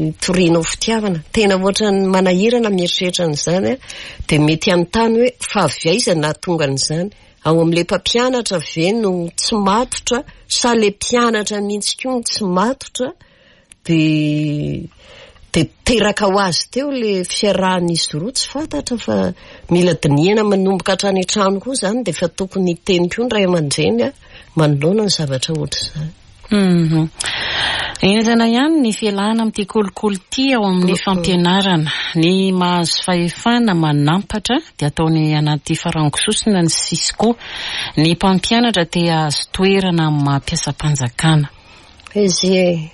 itorianao fitiavana. Tena ohatran'ny manahirana mieritreritra an'izany a. Dia mety hanontany hoe fa avy aiza nahatonga an'izany? Ao amin'ilay mpampianatra ve no tsy matotra sa ilay mpianatra mihitsy koa no tsy matotra? Dia dia teraka ho azy teo ilay fiarahan'izy roa, tsy fantatra fa mila dinihana manomboka hatrany an-trano koa izany dia efa tokony hiteny koa ny ray aman-dreny a, manoloana ny zavatra ohatr'izany. Mhm. Henjana ihany ny fialana amin'ity kolikoly ity ao amin'ny fampianarana. Ny mahazo fahefana manampatra dia ataony anaty farango sosona ny Cisco. Ny mpampianatra te hahazo toerana amin'ny maha mpiasam-panjakana. Izy e!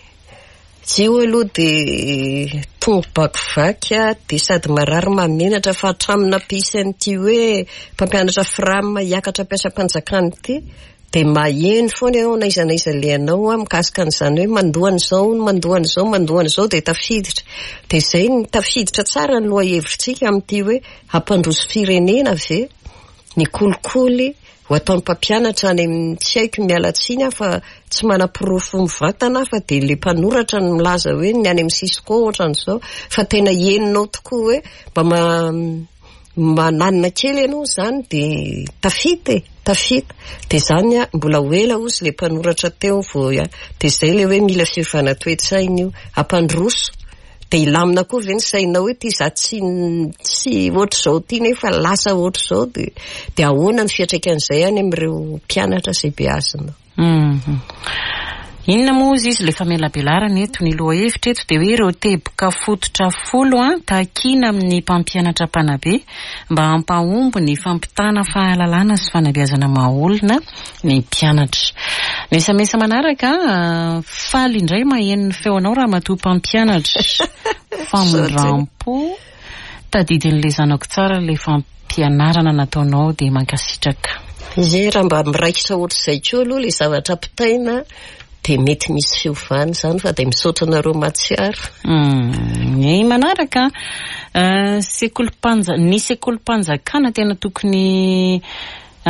Izy io aloha dia tongo-bakivaky dia sady marary mahamenatra fa hatramin'ny nampisy an'ity hoe mpampianatra fram hiakatra mpiasam-panjakana ity dia maheno foana ianao na aiza na aiza alehanao mikasika an'izany hoe mandoa an'izao hono, mandoa an'izao, mandoa an'izao dia tafiditra. Dia izay no tafiditra tsara ny lohahevitritsika amin'ity hoe hampandroso firenena ve ny kolikoly Ho ataon'ny mpampianatra any amin'ny tsy haiko miala tsiny aho fa tsy manaporofo mivantana aho fa dia ilay mpanoratra no milaza hoe ny any amin'ny Cisco ohatran'izao fa tena henonao tokoa hoe mba mananina kely ianao izany dia tafita e, tafita. Dia izany mbola ho ela hozy ilay mpanoratra teo vao dia izay ilay hoe mila fiovana toe-tsaina io, hampandroso. Dia hilamina koa ve ny sainao hoe ity za tsy tsy ohatr'izao ity nefa lasa ohatr'izao dia dia ahoana ny fiantraikan'izay any amin'ireo mpianatra izay beazina. Mhm. Inona moa hozy izy ilay famelabelarana eto? Ny lohahevitra eto dia hoe ireo teboka fototra folo an, takiana amin'ny mpampianatra mpanabe mba hampahomby ny fampitana fahalalana sy fanabeazana maha-olona ny mpianatra. Ny sms manaraka, faly indray maheno ny feonao ramatoa mpampianatra. Famindrampo, tadidin'ilay zanako tsara ilay fampianarana nataonao dia mankasitraka. Ie, raha mba miraikitra ohatr'izay koa aloha ilay zavatra ampitaina dia mety misy fiovana izany fa dia misaotra anareo mahatsiaro. Ny manaraka, sekolim-panja- ny sekolim-panjakana tena tokony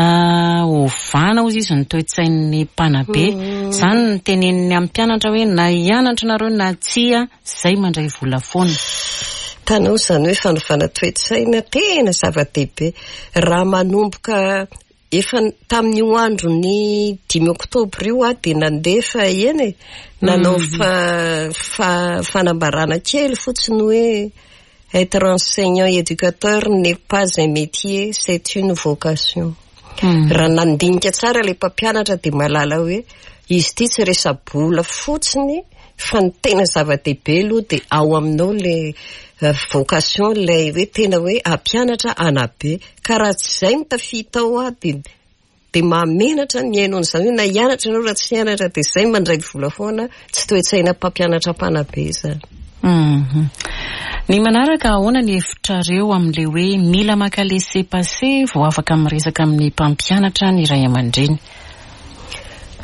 Ovana hozy izy ny toe-tsain'ny mpanabe. Izany no teneniny amin'ny mpianatra hoe na hianatra nareo na tsia, zay mandray vola foana. Hitanao izany hoe fanovana toe-tsaina tena zava-dehibe. Raha manomboka efa tamin'io andron'ny dimy oktobra io aho dia nandefa eny e, nanao fanambarana kely fotsiny hoe être enseignant éducateur n'est pas un métier, c'est une vocation. Raha nandinika tsara ilay mpampianatra dia mahalala hoe izy ity tsy resa-bola fotsiny fa ny tena zava-dehibe aloha dia ao aminao ilay vocation, ilay hoe tena hoe hampianatra hanabe. Ka raha tsy izay no tafita ao aho dia dia mahamenatra ny mihaino an'izany hoe na hianatra ianao raha tsy hianatra dia izay mandray vola foana, tsy toe-tsaina mpampianatra mpanabe izany. Ny manaraka, ahoana ny hevitrareo amin'ilay hoe mila maka laisser passer vao afaka miresaka amin'ny mpampianatra ny ray aman-dreny?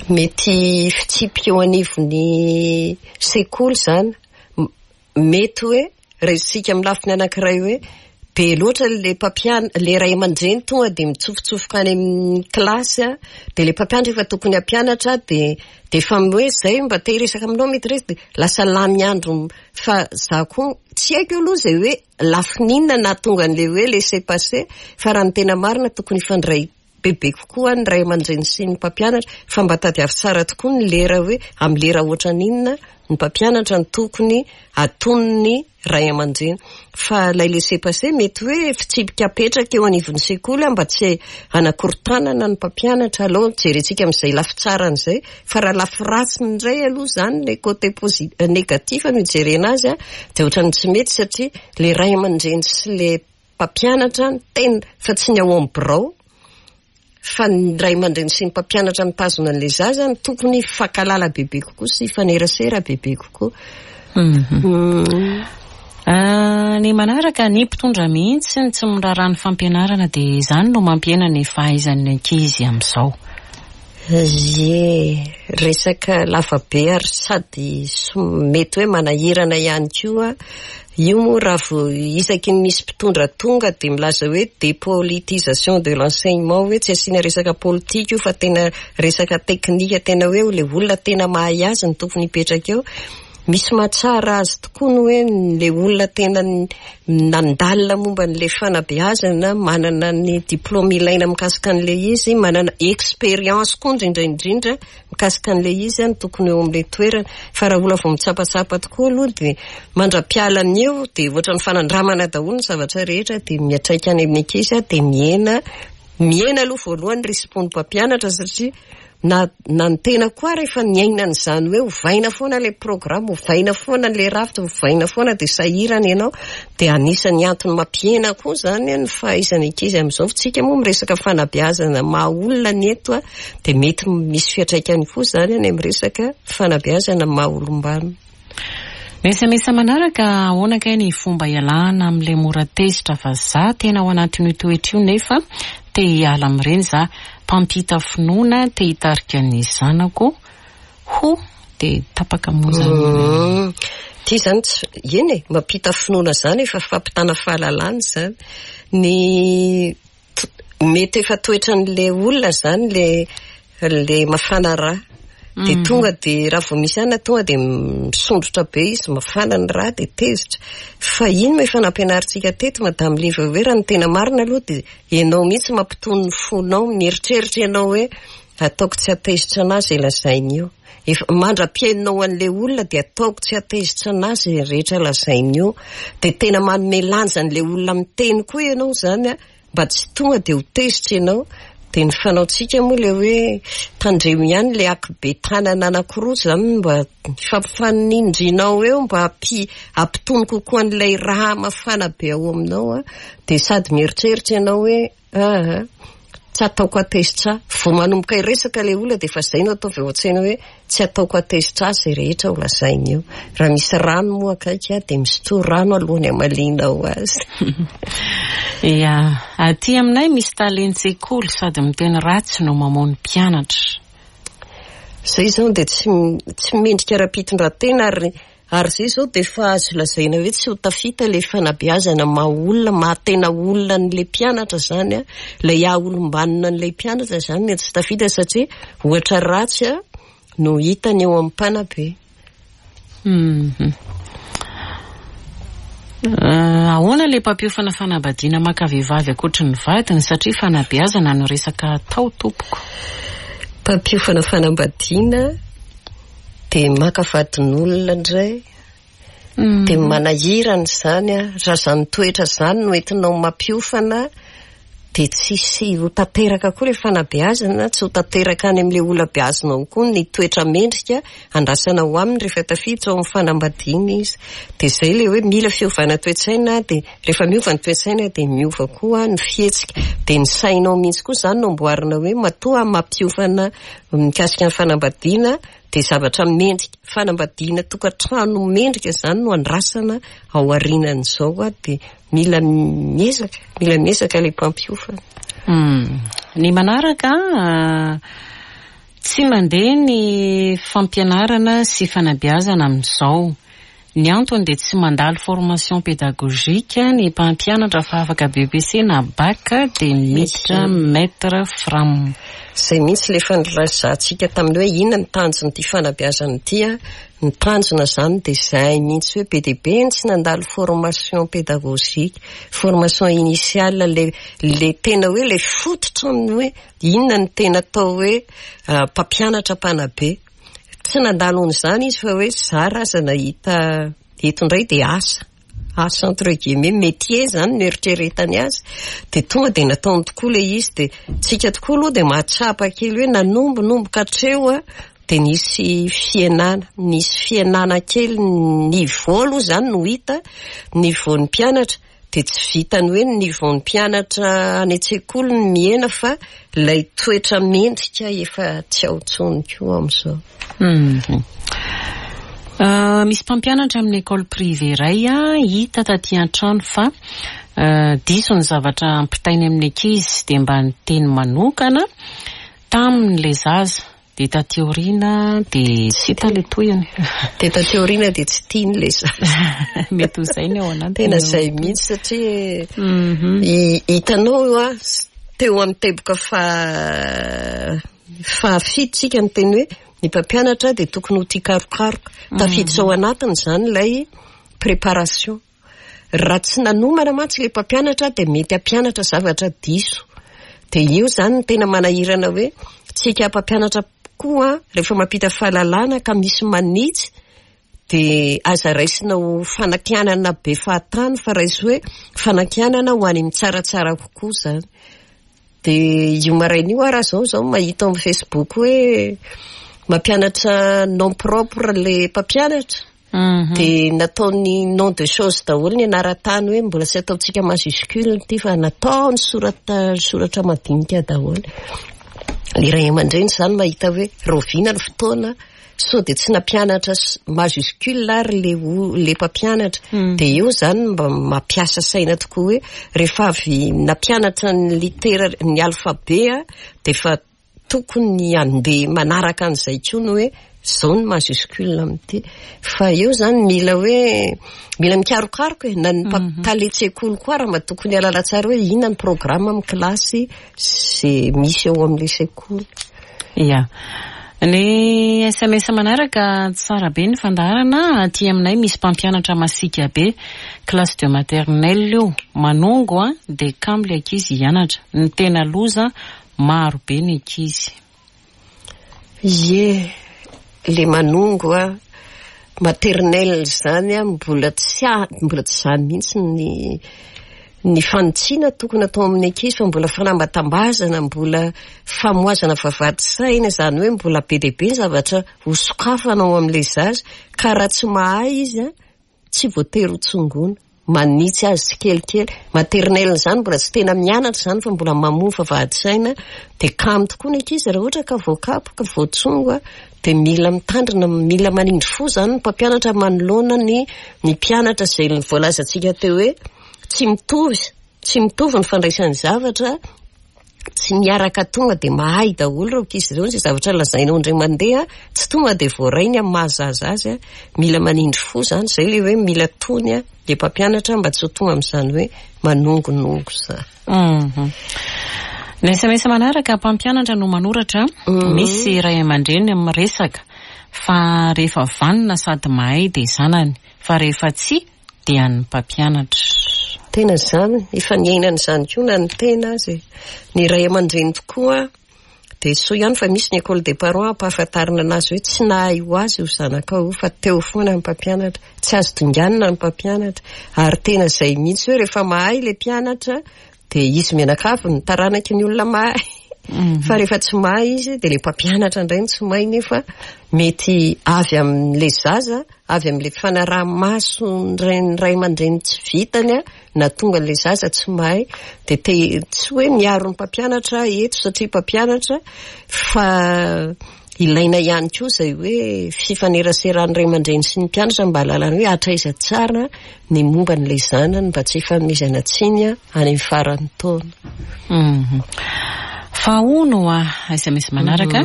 Mety fitsipika eo anivon'ny sekoly izany. Mety hoe raisintsika amin'ny lafiny anankiray hoe be loatra ilay mpampiana, ilay ray aman-dreny tonga dia mitsofotsofoka any amin'ny kilasy dia ilay mpampianatra efa tokony hampianatra dia dia efa hoe izay mba te hiresaka aminao maîtresse dia lasa lany andro fa za koa tsy haiko aloha izay hoe lafiny inona nahatonga an'ilay hoe laisser passer fa raha ny tena marina tokony hifandray bebe kokoa ny ray aman-dreny sy ny mpampianatra fa mba tadiavo tsara tokoa ny lera hoe amin'ny lera ohatran'inona ny mpampianatra no tokony hatonin'ny ray aman-dreny fa ilay laisser passer mety hoe fitsipika apetraka eo anivon'ny sekoly mba tsy hanakorontanana ny mpampianatra aloha jerentsika amin'izay lafy tsarany izay fa raha lafy ratsiny indray aloha izany ilay côté négatif no ijerena azy dia ohatran'ny tsy mety satria ilay ray aman-dreny sy ilay mpampianatra ny tena fa tsy ny ao amin'ny birao fa ny ray aman-dreny sy ny mpampianatra mitazona an'ilay zaza no tokony hifankalala bebe kokoa sy hifanerasera bebe kokoa. Ny manaraka, ny mpitondra mihitsy ny tsy miraharaha ny fampianarana dia izany no mampihena ny fahaizan'ny ankizy amin'izao. Ie, resaka lava be ary sady mety hoe manahirana ihany koa. Io moa raha vao isaky ny misy mpitondra tonga dia milaza hoe dépolitisation de l'enseignement hoe tsy asiana resaka politika io fa tena resaka teknika, tena hoe ilay olona tena mahay azy no tokony hipetraka eo. Misy mahatsara azy tokoa ny hoe ilay olona tena nandalina momba an'ilay fanabeazana, manana ny diplaoma ilaina mikasika an'ilay izy, manana expérience koa indrindra indrindra mikasika an'ilay izy no tokony eo amin'ilay toerana. Fa raha olona vao mitsapatsapa tokoa aloha dia mandra-pialany eo dia ohatran'ny fanandramana daholo ny zavatra rehetra dia miantraika any amin'ny ankizy dia mihena, mihena aloha voalohany ny risi-pon'ny mpampianatra satria Na na ny tena koa ary efa niaina an'izany hoe ovaina foana ilay programme, ovaina foana ilay rafitra, ovaina foana dia sahirana ianao. Dia anisan'ny antony mampihena koa izany ny fahaizan'ny ankizy amin'izao. Fa tsika moa miresaka fanabeazana maha olona ny eto dia mety misy fiantraikany koa izany any amin'ny resaka fanabeazana maha olom-banona. Ny sms manaraka, ahoana kay ny fomba ialana amin'ilay mora tezitra fa za tena ao anatin'io toetra io nefa te hiala amin'ireny za, mpampita finoana te hitarika ny zanako ho dia tapaka moa izany. Ity izany tsy, eny e, mampita finoana izany efa fampitana fahalalana izany. Ny mety efa toetran'ilay olona izany ilay ilay mafana rà. Dia tonga dia raha vao misy anona tonga dia misondrotra be izy, mafana ny rà dia tezitra. Fa iny no efa nampianarintsika teto Madame Liva hoe raha ny tena marina aloha dia ianao mihitsy mampitony ny fonao, mieritreritra ianao hoe ataoko tsy hatezitra an'ahy izay lazainy io. Efa mandra-pihainonao an'ilay olona dia ataoko tsy hatezitra an'ahy izay rehetra lazainy io. Dia tena manome lanja an'ilay olona miteny koa ianao izany an, mba tsy tonga dia ho tezitra ianao. Dia ny fanaontsika moa ilay hoe tandremo ihany ilay akibe tanana anankiroa izany mba hifampifanindrinao eo mba hampitony kokoa an'ilay rà mafana be ao aminao an. Dia sady mieritreritra ianao hoe Aa, tsy ataoko hatezitra ahy. Vao manomboka hiresaka ilay olona dia efa izay no ataovy ao an-tsaina hoe tsy ataoko hatezitra ahy izay rehetra ho lazainy eo. Raha misy rano moa akaiky aho dia misotroa rano alohan'ny hamalianao azy. Ia, aty aminay misy talen-tsekoly sady miteny ratsy no mamono mpianatra. Izay izao dia tsy tsy mendrika ara-pitondran-tena ary Ary izay izao dia efa azo lazaina hoe tsy ho tafita ilay fanabeazana maha olona, maha tena olona an'ilay mpianatra izany an, ilay haha olom-banona an'ilay mpianatra izany no tsy tafita satria ohatra ratsy no hitany eo amin'ny mpanabe. Ahoana ilay mpampiofana fanambadiana maka vehivavy ankoatry ny vadiny satria fanabeazana no resaka atao tompoko? Mpampiofana fanambadiana dia maka vadin'olona indray dia manahirana izany an, raha izany toetra izany no entinao mampiofana dia tsisy ho tanteraka koa ilay fanabeazana, tsy ho tanteraka any amin'ilay olona beazinao koa ny toetra mendrika andrasana ho aminy rehefa tafiditra ao amin'ny fanambadiana izy. Dia izay ilay hoe mila fiovana toe-tsaina, dia rehefa miova ny toe-tsaina dia miova koa ny fihetsika. Dia ny sainao mihitsy koa izany no amboarina hoe matoa mampiofana mikasika ny fanambadiana dia zavatra mendrika, fanambadiana tokantrano mendrika izany no andrasana ao aorianan'izao dia mila miezaka, mila miezaka ilay mpampiofana. Ny manaraka, tsy mandeha ny fampianarana sy fanabeazana amin'izao. Ny antony dia tsy mandalo formation pédagogique ny mpampianatra fa afaka BEPC na Bac dia miditra maître fram. Izay mihitsy ilay efa nilazatsika tamin'ny hoe inona ny tanjon'ity fanabeazana ity an. Ny tanjona izany dia izay mihitsy hoe be dia be ny tsy nandalo formation pédagogique, formation initiale, ilay ilay tena hoe ilay fototra amin'ny hoe inona no tena atao hoe mpampianatra mpanabe. Tsy nandalo an'izany izy fa hoe zara aza nahita eto indray dia asa, asa entre guillemets, métier izany no eritreretany azy. Dia tonga dia nataony tokoa ilay izy dia tsika tokoa aloha dia mahatsapa kely hoe nanombonomboka hatreo an, dia nisy fihenana, nisy fihenana kely ny niveau aloha izany no hita, niveau-n'ny mpianatra. Dia tsy vitan'ny hoe ny niveau-n'ny mpianatra any an-tsekoly no mihena fa ilay toetra mendrika efa tsy ao intsony koa amin'izao. Misy mpampianatra amin'ny école privée iray hita taty an-trano fa diso ny zavatra ampitainy amin'ny ankizy dia mba niteny manokana taminy ilay zaza. Dia taty aoriana dia tsy hita ilay tohiny. Dia taty aoriana dia tsy tiany ilay zaza. Mety ho izay ny ao anatiny. Tena izay mihitsy satria hitanao hoa teo amin'ny teboka fahafito tsika niteny hoe ny mpampianatra dia tokony ho tia karokaroka. Tafiditra ao anatiny izany ilay préparation. Raha tsy nanomana mantsy ilay mpampianatra dia mety hampianatra zavatra diso. Dia io izany no tena manahirana hoe tsika mpampianatra koa rehefa mampita fahalalana ka misy manitsy dia aza raisina ho fanakianana be fahatany fa raiso hoe fanakianana ho any amin'ny tsaratsara kokoa izany. Dia io maraina io aho raha izao izao mahita ao amin'ny Facebook hoe mampianatra nom propre ilay mpampianatra. Dia nataony nom de chose daholo ny anaran-tany hoe mbola tsy ataontsika majuscule ity fa nataony soratra soratra madinika daholo. Ny ray aman-dreny izany mahita hoe rahoviana ny fotoana sao dia tsy nampianatra majuscule ary le le mpampianatra. Dia eo izany mba mampiasa saina tokoa hoe rehefa avy nampianatra ny litera ny alphabet dia efa Tokony handeha manaraka an'izay koa ny hoe izao ny majuscule amin'ity. Fa eo izany mila hoe mila mikarokaroka e, na ny talen-tsekoly koa ary mba tokony hahalala tsara hoe inona ny programme amin'ny kilasy izay misy eo amin'ilay sekoly. Ya. Ny sms manaraka, tsara be ny fandaharana, aty aminay misy mpampianatra masiaka be, classe de maternelle io, manongo an, dia kamo le ankizy hianatra, ny tena loza Maro be ny ankizy. Ie, le manongo a, maternelle zany a, mbola tsy mbola tsy zany mihitsy ny ny fanitsiana tokony atao amin'ny ankizy fa mbola fanambatambazana, mbola famohazana vavahady saina, izany hoe mbola be dia be ny zavatra ho sokafana ao amin'ilay zaza ka raha tsy mahay izy a, Tsy voatery ho tsongoina. Manitsy azy tsikelikely. Maternelle izany mbola tsy tena mianatra izany fa mbola mamoa vavahadin-tsaina. Dia kamo tokoa ny ankizy raha ohatra ka voakapoka, voatsongo dia mila mitandrina, mila manindry fo izany ny mpampianatra manoloana ny ny mpianatra izay voalazantsika teo hoe tsy mitovy, tsy mitovy ny fandraisany zavatra. Tsy miaraka tonga dia mahay daholo ireo ankizy ireo, izay zavatra lazainao indray mandeha tsy tonga dia voarainy amin'ny maha zaza azy, mila manindry fo izany, izay ilay hoe mila tony ilay mpampianatra mba tsy ho tonga amin'izany hoe manongonongo izany. Ny sms manaraka, mpampianatra no manoratra, misy ray aman-dreny miresaka fa rehefa vanona sady mahay dia zanany, fa rehefa tsia. dia an'ny mpampianatra. Tena izany, efa niainana izany koa na ny tena aza e. Ny ray aman-dreny tokoa dia soa ihany fa misy ny école des parents ampahafantarina anazy hoe tsy nahay ho azy io zanakao io fa teo foana ny mpampianatra, tsy azo dinganina ny mpampianatra ary tena izay mihitsy hoe rehefa mahay ilay mpianatra dia izy mianakavy ny taranaky ny olona mahay fa rehefa tsy mahay izy dia ilay mpampianatra indray no tsy mahay nefa mety avy amin'ilay zaza, avy amin'ilay fanaraha-maso ny ray aman-dreny tsy vitany na tonga ilay zaza tsy mahay dia te tsy hoe miaro ny mpampianatra aho eto satria mpampianatra fa ilaina ihany koa izay hoe fifaneraseran'ny ray aman-dreny sy ny mpianatra mba hahalalana hoe hatraiza tsara ny momba an'ilay zanany mba tsy hifanomezana tsiny any amin'ny faran'ny taona. Mhm. Fa hono hoa, sms manaraka,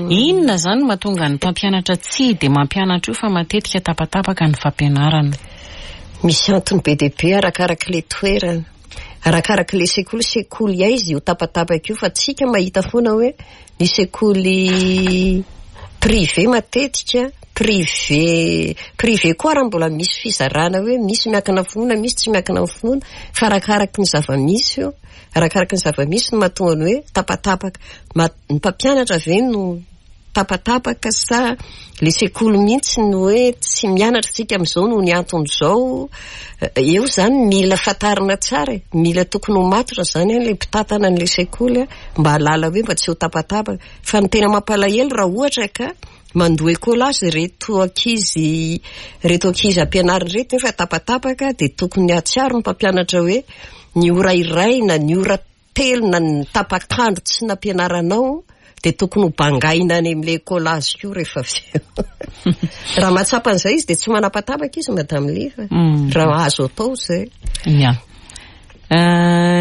inona izany no mahatonga ny mpampianatra tsy dia mampianatra io fa matetika tapatapaka ny fampianarana? Misy antony be dia be arakarak'ilay toerana, arakarak'ilay sekoly, sekoly aiza io tapatapaka io fa tsika mahita foana hoe ny sekoly privé matetika, privé, privé koa ary mbola misy fizarana hoe misy miankina finoana, misy tsy miankina amin'ny finoana fa arakaraky ny zava-misy io, arakaraky ny zava-misy no mahatonga ny hoe tapatapaka, ny mpampianatra ve no tapatapaka sa le sekoly mihitsy no hoe tsy mianatra tsika amin'izao noho ny antony izao, eo izany mila fantarina tsara e, mila tokony ho matotra izany an, le mpitantana an'le sekoly mba hahalala hoe mba tsy ho tapatapaka, fa ny tena mampalahelo raha ohatra ka mandoa écolage ireto ankizy ireto ankizy ampianarina ireto nefa tapatapaka dia tokony hahatsiaro ny mpampianatra hoe ny ora iray na ny ora telo na ny tapak'andro tsy nampianaranao dia tokony ho bangaina any amin'ilay écolage koa rehefa avy eo. Raha mahatsapa an'izay izy dia tsy manapatapaka izy Madame Liva. Raha azo atao izay. Ya.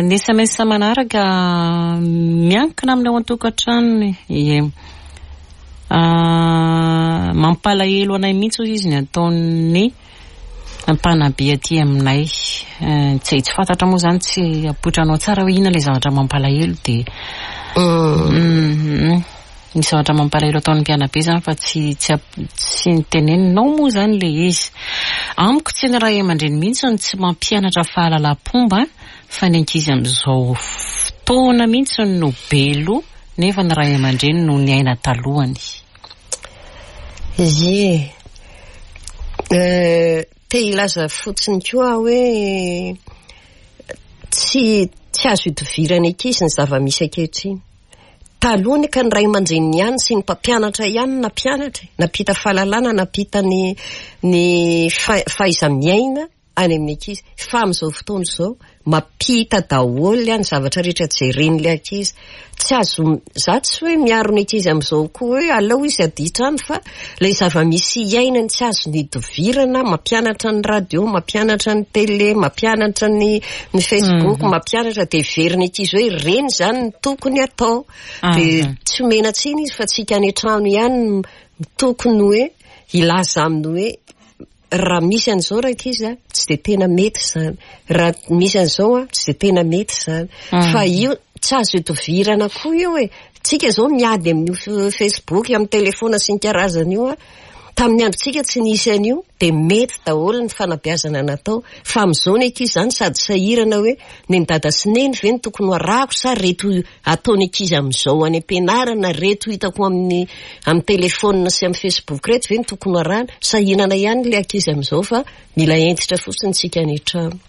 Ny sms manaraka miankina amin'ny ao an-tokantranony. Ie. Mampalahelo anay mihitsy hoy izy ny ataon'ny mpanabe aty aminay. Tsy tsy fantatra moa izany, tsy apoitranao tsara hoe inona ilay zavatra mampalahelo dia ny zavatra mampalahelo ataon'ny mpianabe izany fa tsy tsy tsy niteneninao moa izany ilay izy. Amiko tsy ny ray aman-dreny mihitsy no tsy mampianatra fahalalam-pomba fa ny ankizy amin'izao fotoana mihitsy no be loha nefa ny ray aman-dreny no niaina talohany. Ie. Te hilaza fotsiny koa aho hoe tsy tsy azo idovirana ankizy ny zava-misy ankehitriny. Taloha anie ka ny ray aman-dreniny ihany sy ny mpampianatra ihany no nampianatra e, nampita fahalalana, nampita ny ny fahaiza-miaina any amin'ny ankizy. Fa amin'izao fotoana izao, mampita daholo ny zavatra rehetra jeren'ilay ankizy. Tsy azo, za tsy hoe miaro ny ankizy amin'izao koa hoe aleo izy haditra any fa ilay zava-misy iainany tsy azony idovirana, mampianatra ny radio, mampianatra ny télé, mampianatra ny ny facebook, mampianatra dia heverin'ny ankizy hoe ireny izany no tokony atao. Dia tsy omena tsiny izy fa tsika any an-trano ihany no tokony hoe hilaza aminy hoe Raha misy an'izao rankizy a, tsy dia tena mety izany. Raha misy an'izao a, tsy dia tena mety izany. Fa io tsy azo idovirana koa io e. Tsika izao miady amin'io Facebook, amin'ny telephone sy ny karazany io a. Tamin'ny androntsika tsy nisy an'io, dia mety daholo ny fanabeazana natao. Fa amin'izao ny ankizy izany sady sahirana hoe neny dada sy neny ve no tokony ho arahako sa reto ataon'ny ankizy amin'izao any am-pianarana reto hitako amin'ny amin'ny telephone sy amin'ny facebook reto ve no tokony ho arahana? Sahinana ihany ilay ankizy amin'izao fa mila hentitra fotsiny tsika any an-trano.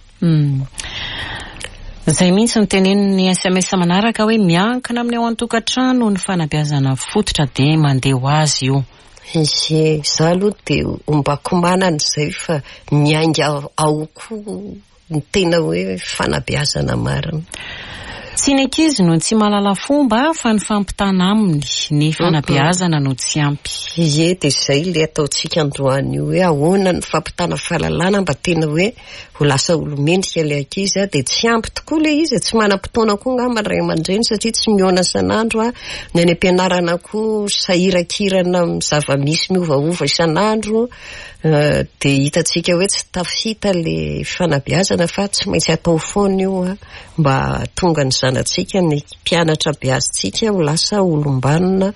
Izay mihitsy no tenenin'ny sms manaraka hoe miankina amin'ny ao an-tokantrano ny fanabeazana fototra dia mandeha ho azy io. Ie, izaho aloha dia ombako manana izay fa miainga ao koa Ny tena hoe fanabeazana marina. Tsy ny ankizy no tsy mahalala fomba fa ny fampitana aminy, ny fanabeazana no tsy ampy. Ie, dia izay ilay ataontsika androany io hoe ahoana ny fampitana fahalalana mba tena hoe ho lasa olo-mendrika ilay ankizy dia tsy ampy tokoa ilay izy e, tsy manam-potoana koa angamba ny ray aman-dreny satria tsy mihaona isan'andro, ny any am-pianarana koa sahirankirana amin'ny zava-misy miovaova isan'andro. Dia hitantsika hoe tsy tafita ilay fanabeazana fa tsy maintsy atao foana io mba hahatonga ny zanatsika, ny mpianatra beazintsika ho lasa olom-banona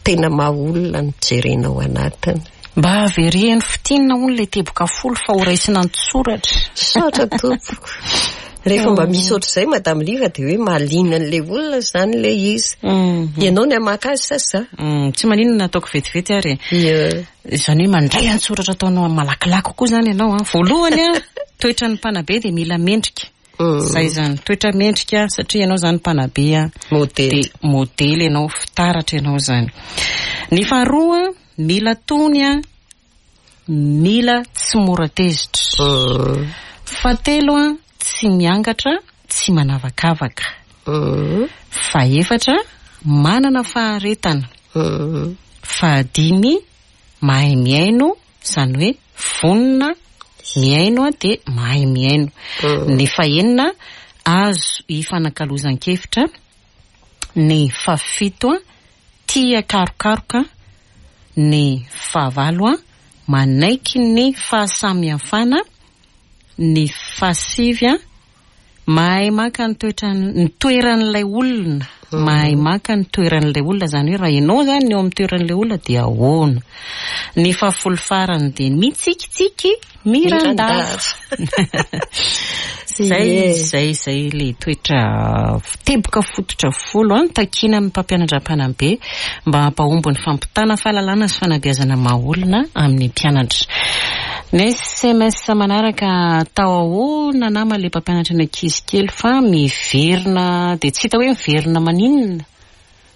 tena maha olona no jerena ao anatiny. Mba avereno fintinina hono ilay teboka folo fa ho raisina an-tsoratra. Misaotra tompoko. Rehefa mba misy ohatr'izay Madame Liva dia hoe mahaliana an'ilay olona izany ilay izy. Ianao ny hamaka azy sa za? Tsy maninona ataoko vetivety ary e. Ie. Izany hoe mandray an-tsoratra ataonao malakilaky kokoa izany ianao an. Voalohany an, toetran'ny mpanabe dia mila mendrika. Izay izany, toetra mendrika satria ianao izany mpanabe an. Modely. Dia modely ianao, fitaratra ianao izany. Ny faharoa, mila tony an, mila tsy mora tezitra. Fahatelo an, tsy miangatra, tsy manavakavaka. Fahefatra, manana faharetana. Fahadimy, mahay mihaino, izany hoe vonona mihaino dia mahay mihaino. Ny fahenina, azo ifanakalozan-kevitra. Ny fahafito, tia karokaroka. Ny fahavalo, manaiky ny fahasamihafana. Ny fahasivy, Mahay maka ny toetran ny toeran'ilay olona, mahay maka ny toeran'ilay olona, izany hoe raha ianao izany no eo amin'ny toeran'ilay olona dia ahoana? Ny fahafolo farany dia mitsikitsiky mirandava. Izay, izay, izay ilay toetra teboka fototra folo an, takiana amin'ny mpampianatra mpanabe mba hampahomby ny fampitana fahalalana sy fanabeazana maha olona amin'ny mpianatra. Ny sms manaraka atao ahoana nama le mpampianatra ny ankizy kely fa miverina dia tsy hita hoe miverina maninona?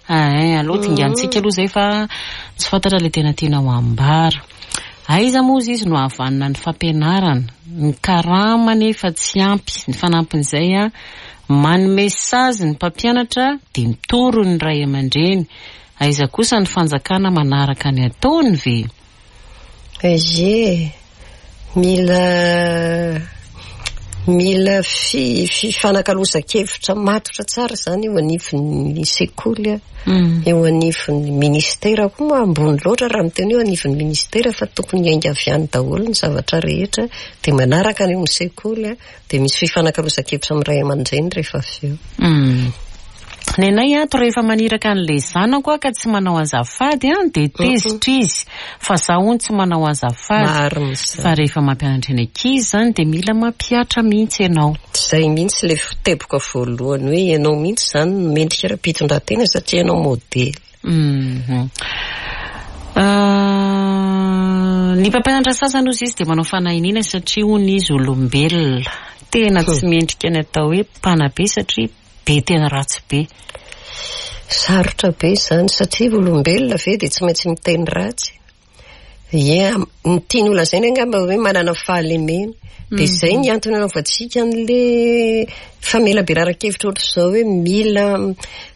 Ain aleo dingantsika aloha izay fa tsy fantatra le tena tiana ho ambara. Aiza moa izy izy no hahavanona ny fampianarana? Ny karama anefa tsy ampy, ny fanampin'izay an, manome sazy ny mpampianatra dia mitory ny ray aman-dreny, aiza kosa ny fanjakana manaraka ny ataony ve? Ie, mila mila fifanakalozan-kevitra matotra tsara izany eo anivon'ny sekoly, eo anivon'ny ministera koa moa ambony loatra raha miteny hoe anivon'ny ministera fa tokony hiainga avy any daholo ny zavatra rehetra dia manaraka any amin'ny sekoly. Dia misy fifanakalozan-kevitra amin'ny ray aman-dreny rehefa avy eo. Ny anay ato rehefa maniraka an'ilay zanako aho ka tsy manao azafady an, dia tezitra izy fa za hono tsy manao azafady. Marina izany. Fa rehefa mampianatra ny ankizy izany dia mila mampihatra mihitsy ianao. Izay mihitsy ilay teboka voalohany hoe ianao mihitsy izany no mendrika ara-pitondran-tena satria ianao modely. Ny mpampianatra sasany hozy izy dia manao fanahiniana satria hono izy olombelona. Tena tsy mendrika ny atao hoe mpanabe satria be tena ratsy be. Sarotra be izany satria olombelona ve dia tsy maintsy miteny ratsy? Ie, ny tiany ho lazaina angamba hoe manana fahalemena. Dia izay ny antony anaovantsika an'le famelabelaran-kevitra ohatr'izao hoe mila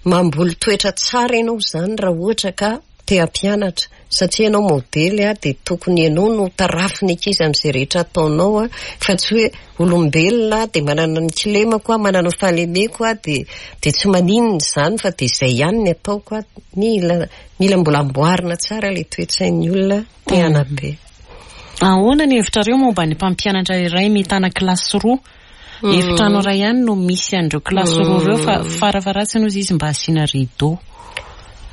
mamboly toetra tsara ianao izany raha ohatra ka te hampianatra. Satria ianao modely dia tokony ianao no tarafin'ny ankizy amin'izay rehetra ataonao fa tsy hoe olombelona dia manana ny kilemako aho, manana ny fahalemeko aho dia dia tsy maninona izany fa dia izay ihany ny ataoko. Mila Mila mbola amboarina tsara ilay toe-tsain'ny olona te hanabe. Ahoana ny hevitrareo momba ny mpampianatra iray mitana kilasy roa? Efitrano iray ihany no misy an'ireo kilasy roa ireo fa farafaharatsiny hozy izy mba asiana rideau.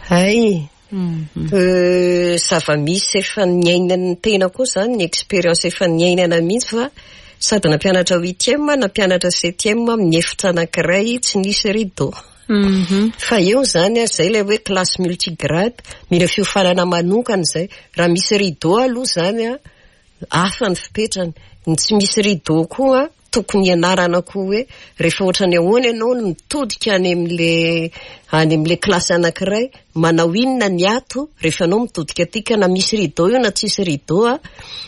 Hay! Zava-misy efa niainan'ny tena koa izany, ny expérience efa niainana mihitsy fa sady nampianatra huitième, nampianatra septième amin'ny efitra anankiray tsy nisy rideau. Fa eo izany an, izay ilay hoe classe multigrade, mila fiofanana manokana izay. Raha misy rideau aloha izany an, hafa ny fipetrany. Ny tsy misy rideau koa an, tokony hianarana koa hoe rehefa ohatran'ny ahoana ianao no mitodika any amin'ilay any amin'ilay classe anankiray, manao inona ny ato rehefa ianao mitodika aty ka na misy rideau io na tsisy rideau an.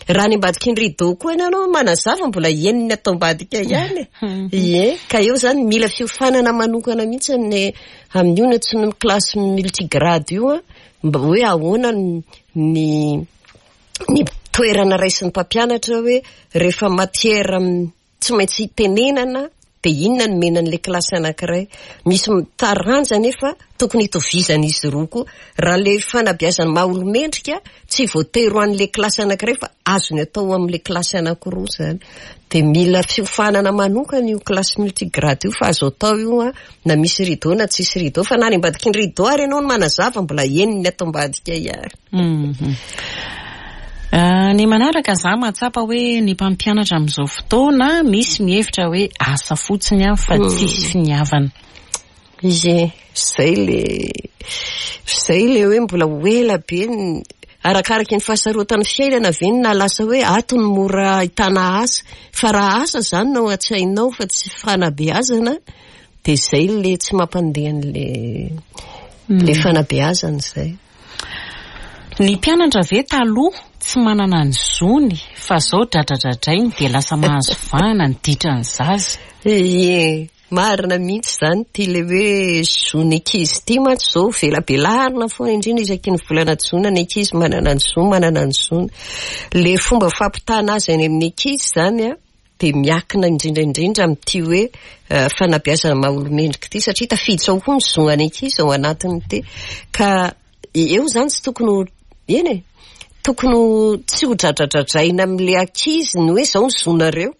Raha any ambadiky ny rideau koa ianao manazava mbola henon'ny ato ambadika ihany e. Ie, ka eo izany mila fiofanana manokana mihitsy ny amin'io ny antsoina hoe classe multigrade io an, mba hoe ahoana ny ny toerana raisin'ny mpampianatra hoe rehefa matière tsy maintsy itenenana dia inona no omena an'ilay kilasy anankiray. Misy taranja anefa tokony hitovizan'izy roa koa. Raha ilay fanabeazana maha olo-mendrika tsy voatery ho an'ilay kilasy anankiray fa azony atao amin'ilay kilasy anankiroa izany. Dia mila fiofanana manokana io kilasy multigrade io fa azo atao io an, na misy rideau na tsisy rideau fa na any ambadiky ny rideau ary ianao no manazava mbola henon'ny ato ambadika ihany. Ny manaraka, za mahatsapa hoe ny mpampianatra amin'izao fotoana misy mihevitra hoe asa fotsiny an fa tsisy finiavana. Ie, zay le zay le hoe mbola ho ela be ny arakaraky ny fahasarotan'ny fiainana ve no nahalasa hoe ato no mora ahitana asa, fa raha asa zany no ao an-tsainao fa tsy fanabeazana dia zay le tsy mampandeha an'le le fanabeazana zay. Ny mpianatra ve taloha tsy manana ny zony fa zao dradradradrainy dia lasa mahazo vahana ny ditran'ny zaza. Ie, marina mihitsy izany ity le hoe zon'ny ankizy ity mantsy izao velabelarina foana indrindra isaky ny volana jona ny ankizy manana ny zo, manana ny zony. Le fomba fampitana azy any amin'ny ankizy izany an, dia miakina indrindra indrindra amin'ity hoe fanabeazana maha olo-mendrika ity satria tafiditra ao koa ny zon'ny ankizy ao anatin'ity. Ka eo izany tsy tokony ho, eny e, tokony ho tsy ho dradradradraina amin'ilay ankizy ny hoe izao ny zonareo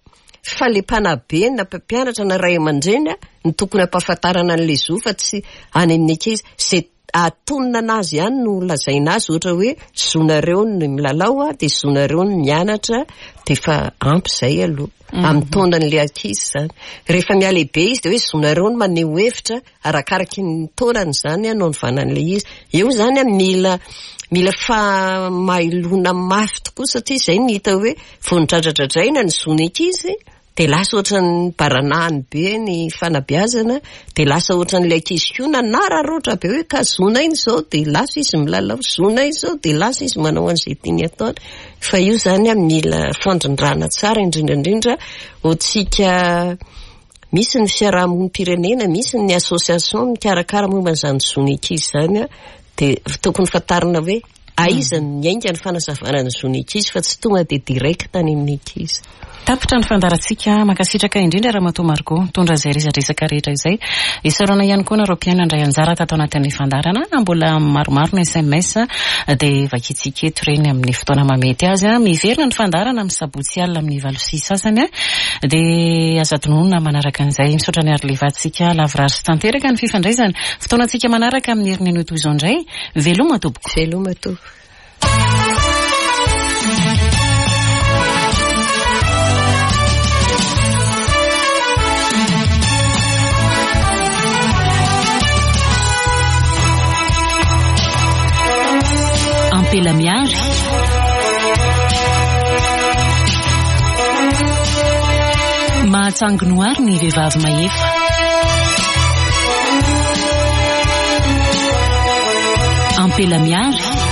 fa ilay mpanabe na mpampianatra na ray aman-dreny no tokony hampahafantarana an'ilay zo fa tsy any amin'ny ankizy. Izay ahatonina anazy ihany no lazaina azy ohatra hoe zonareo ny milalao dia zonareo ny mianatra dia efa ampy izay aloha amin'ny taonan'ilay ankizy izany. Rehefa mihalehibe izy dia hoe zonareo ny maneho hevitra arakaraky ny taonany izany no anovana an'ilay izy. Eo izany mila mila fahamailoana mafy tokoa satria izay no hita hoe vao nodradradradraina ny zon'ny ankizy dia lasa ohatran'ny baranahiny be ny fanabeazana, dia lasa ohatran'ilay ankizy koa nanararaotra be hoe ka zonay izao dia lasa izy milalao, zonay izao dia lasa izy manao an'izay tiany atao. Fa io izany mila fandrindrana tsara indrindra indrindra ho antsika misy ny fiarahamonim-pirenena, misy ny association mikarakara momba an'izany zon'ny ankizy izany dia tokony fantarina hoe Aiza no niainga ny fanazavana ny zon'ny ankizy fa tsy tonga dia direct any amin'ny ankizy. Tapitra ny fandaharantsika. Mankasitraka indrindra Ramatoa Margot nitondra izay resadresaka rehetra izay. Isaorana ihany koa nareo mpihaino nandray anjara tato anatin'ny fandaharana. Mbola maromaro ny sms dia vakintsika eto ireny amin'ny fotoana mahamety azy. Miverina ny fandaharana amin'ny sabotsy alina amin'ny 8h30 dia aza adinoina manaraka an'izay. Misaotra an'i Arlevantsika lavorary sy tanteraka ny fifandraisana. Fotoanantsika manaraka amin'ny herin'ny anio toy izao indray. Veloma tompoko. Veloma tompoko. Ampela miary. Mahatsangy noary ny vehivavy mahefa. Ampela miary.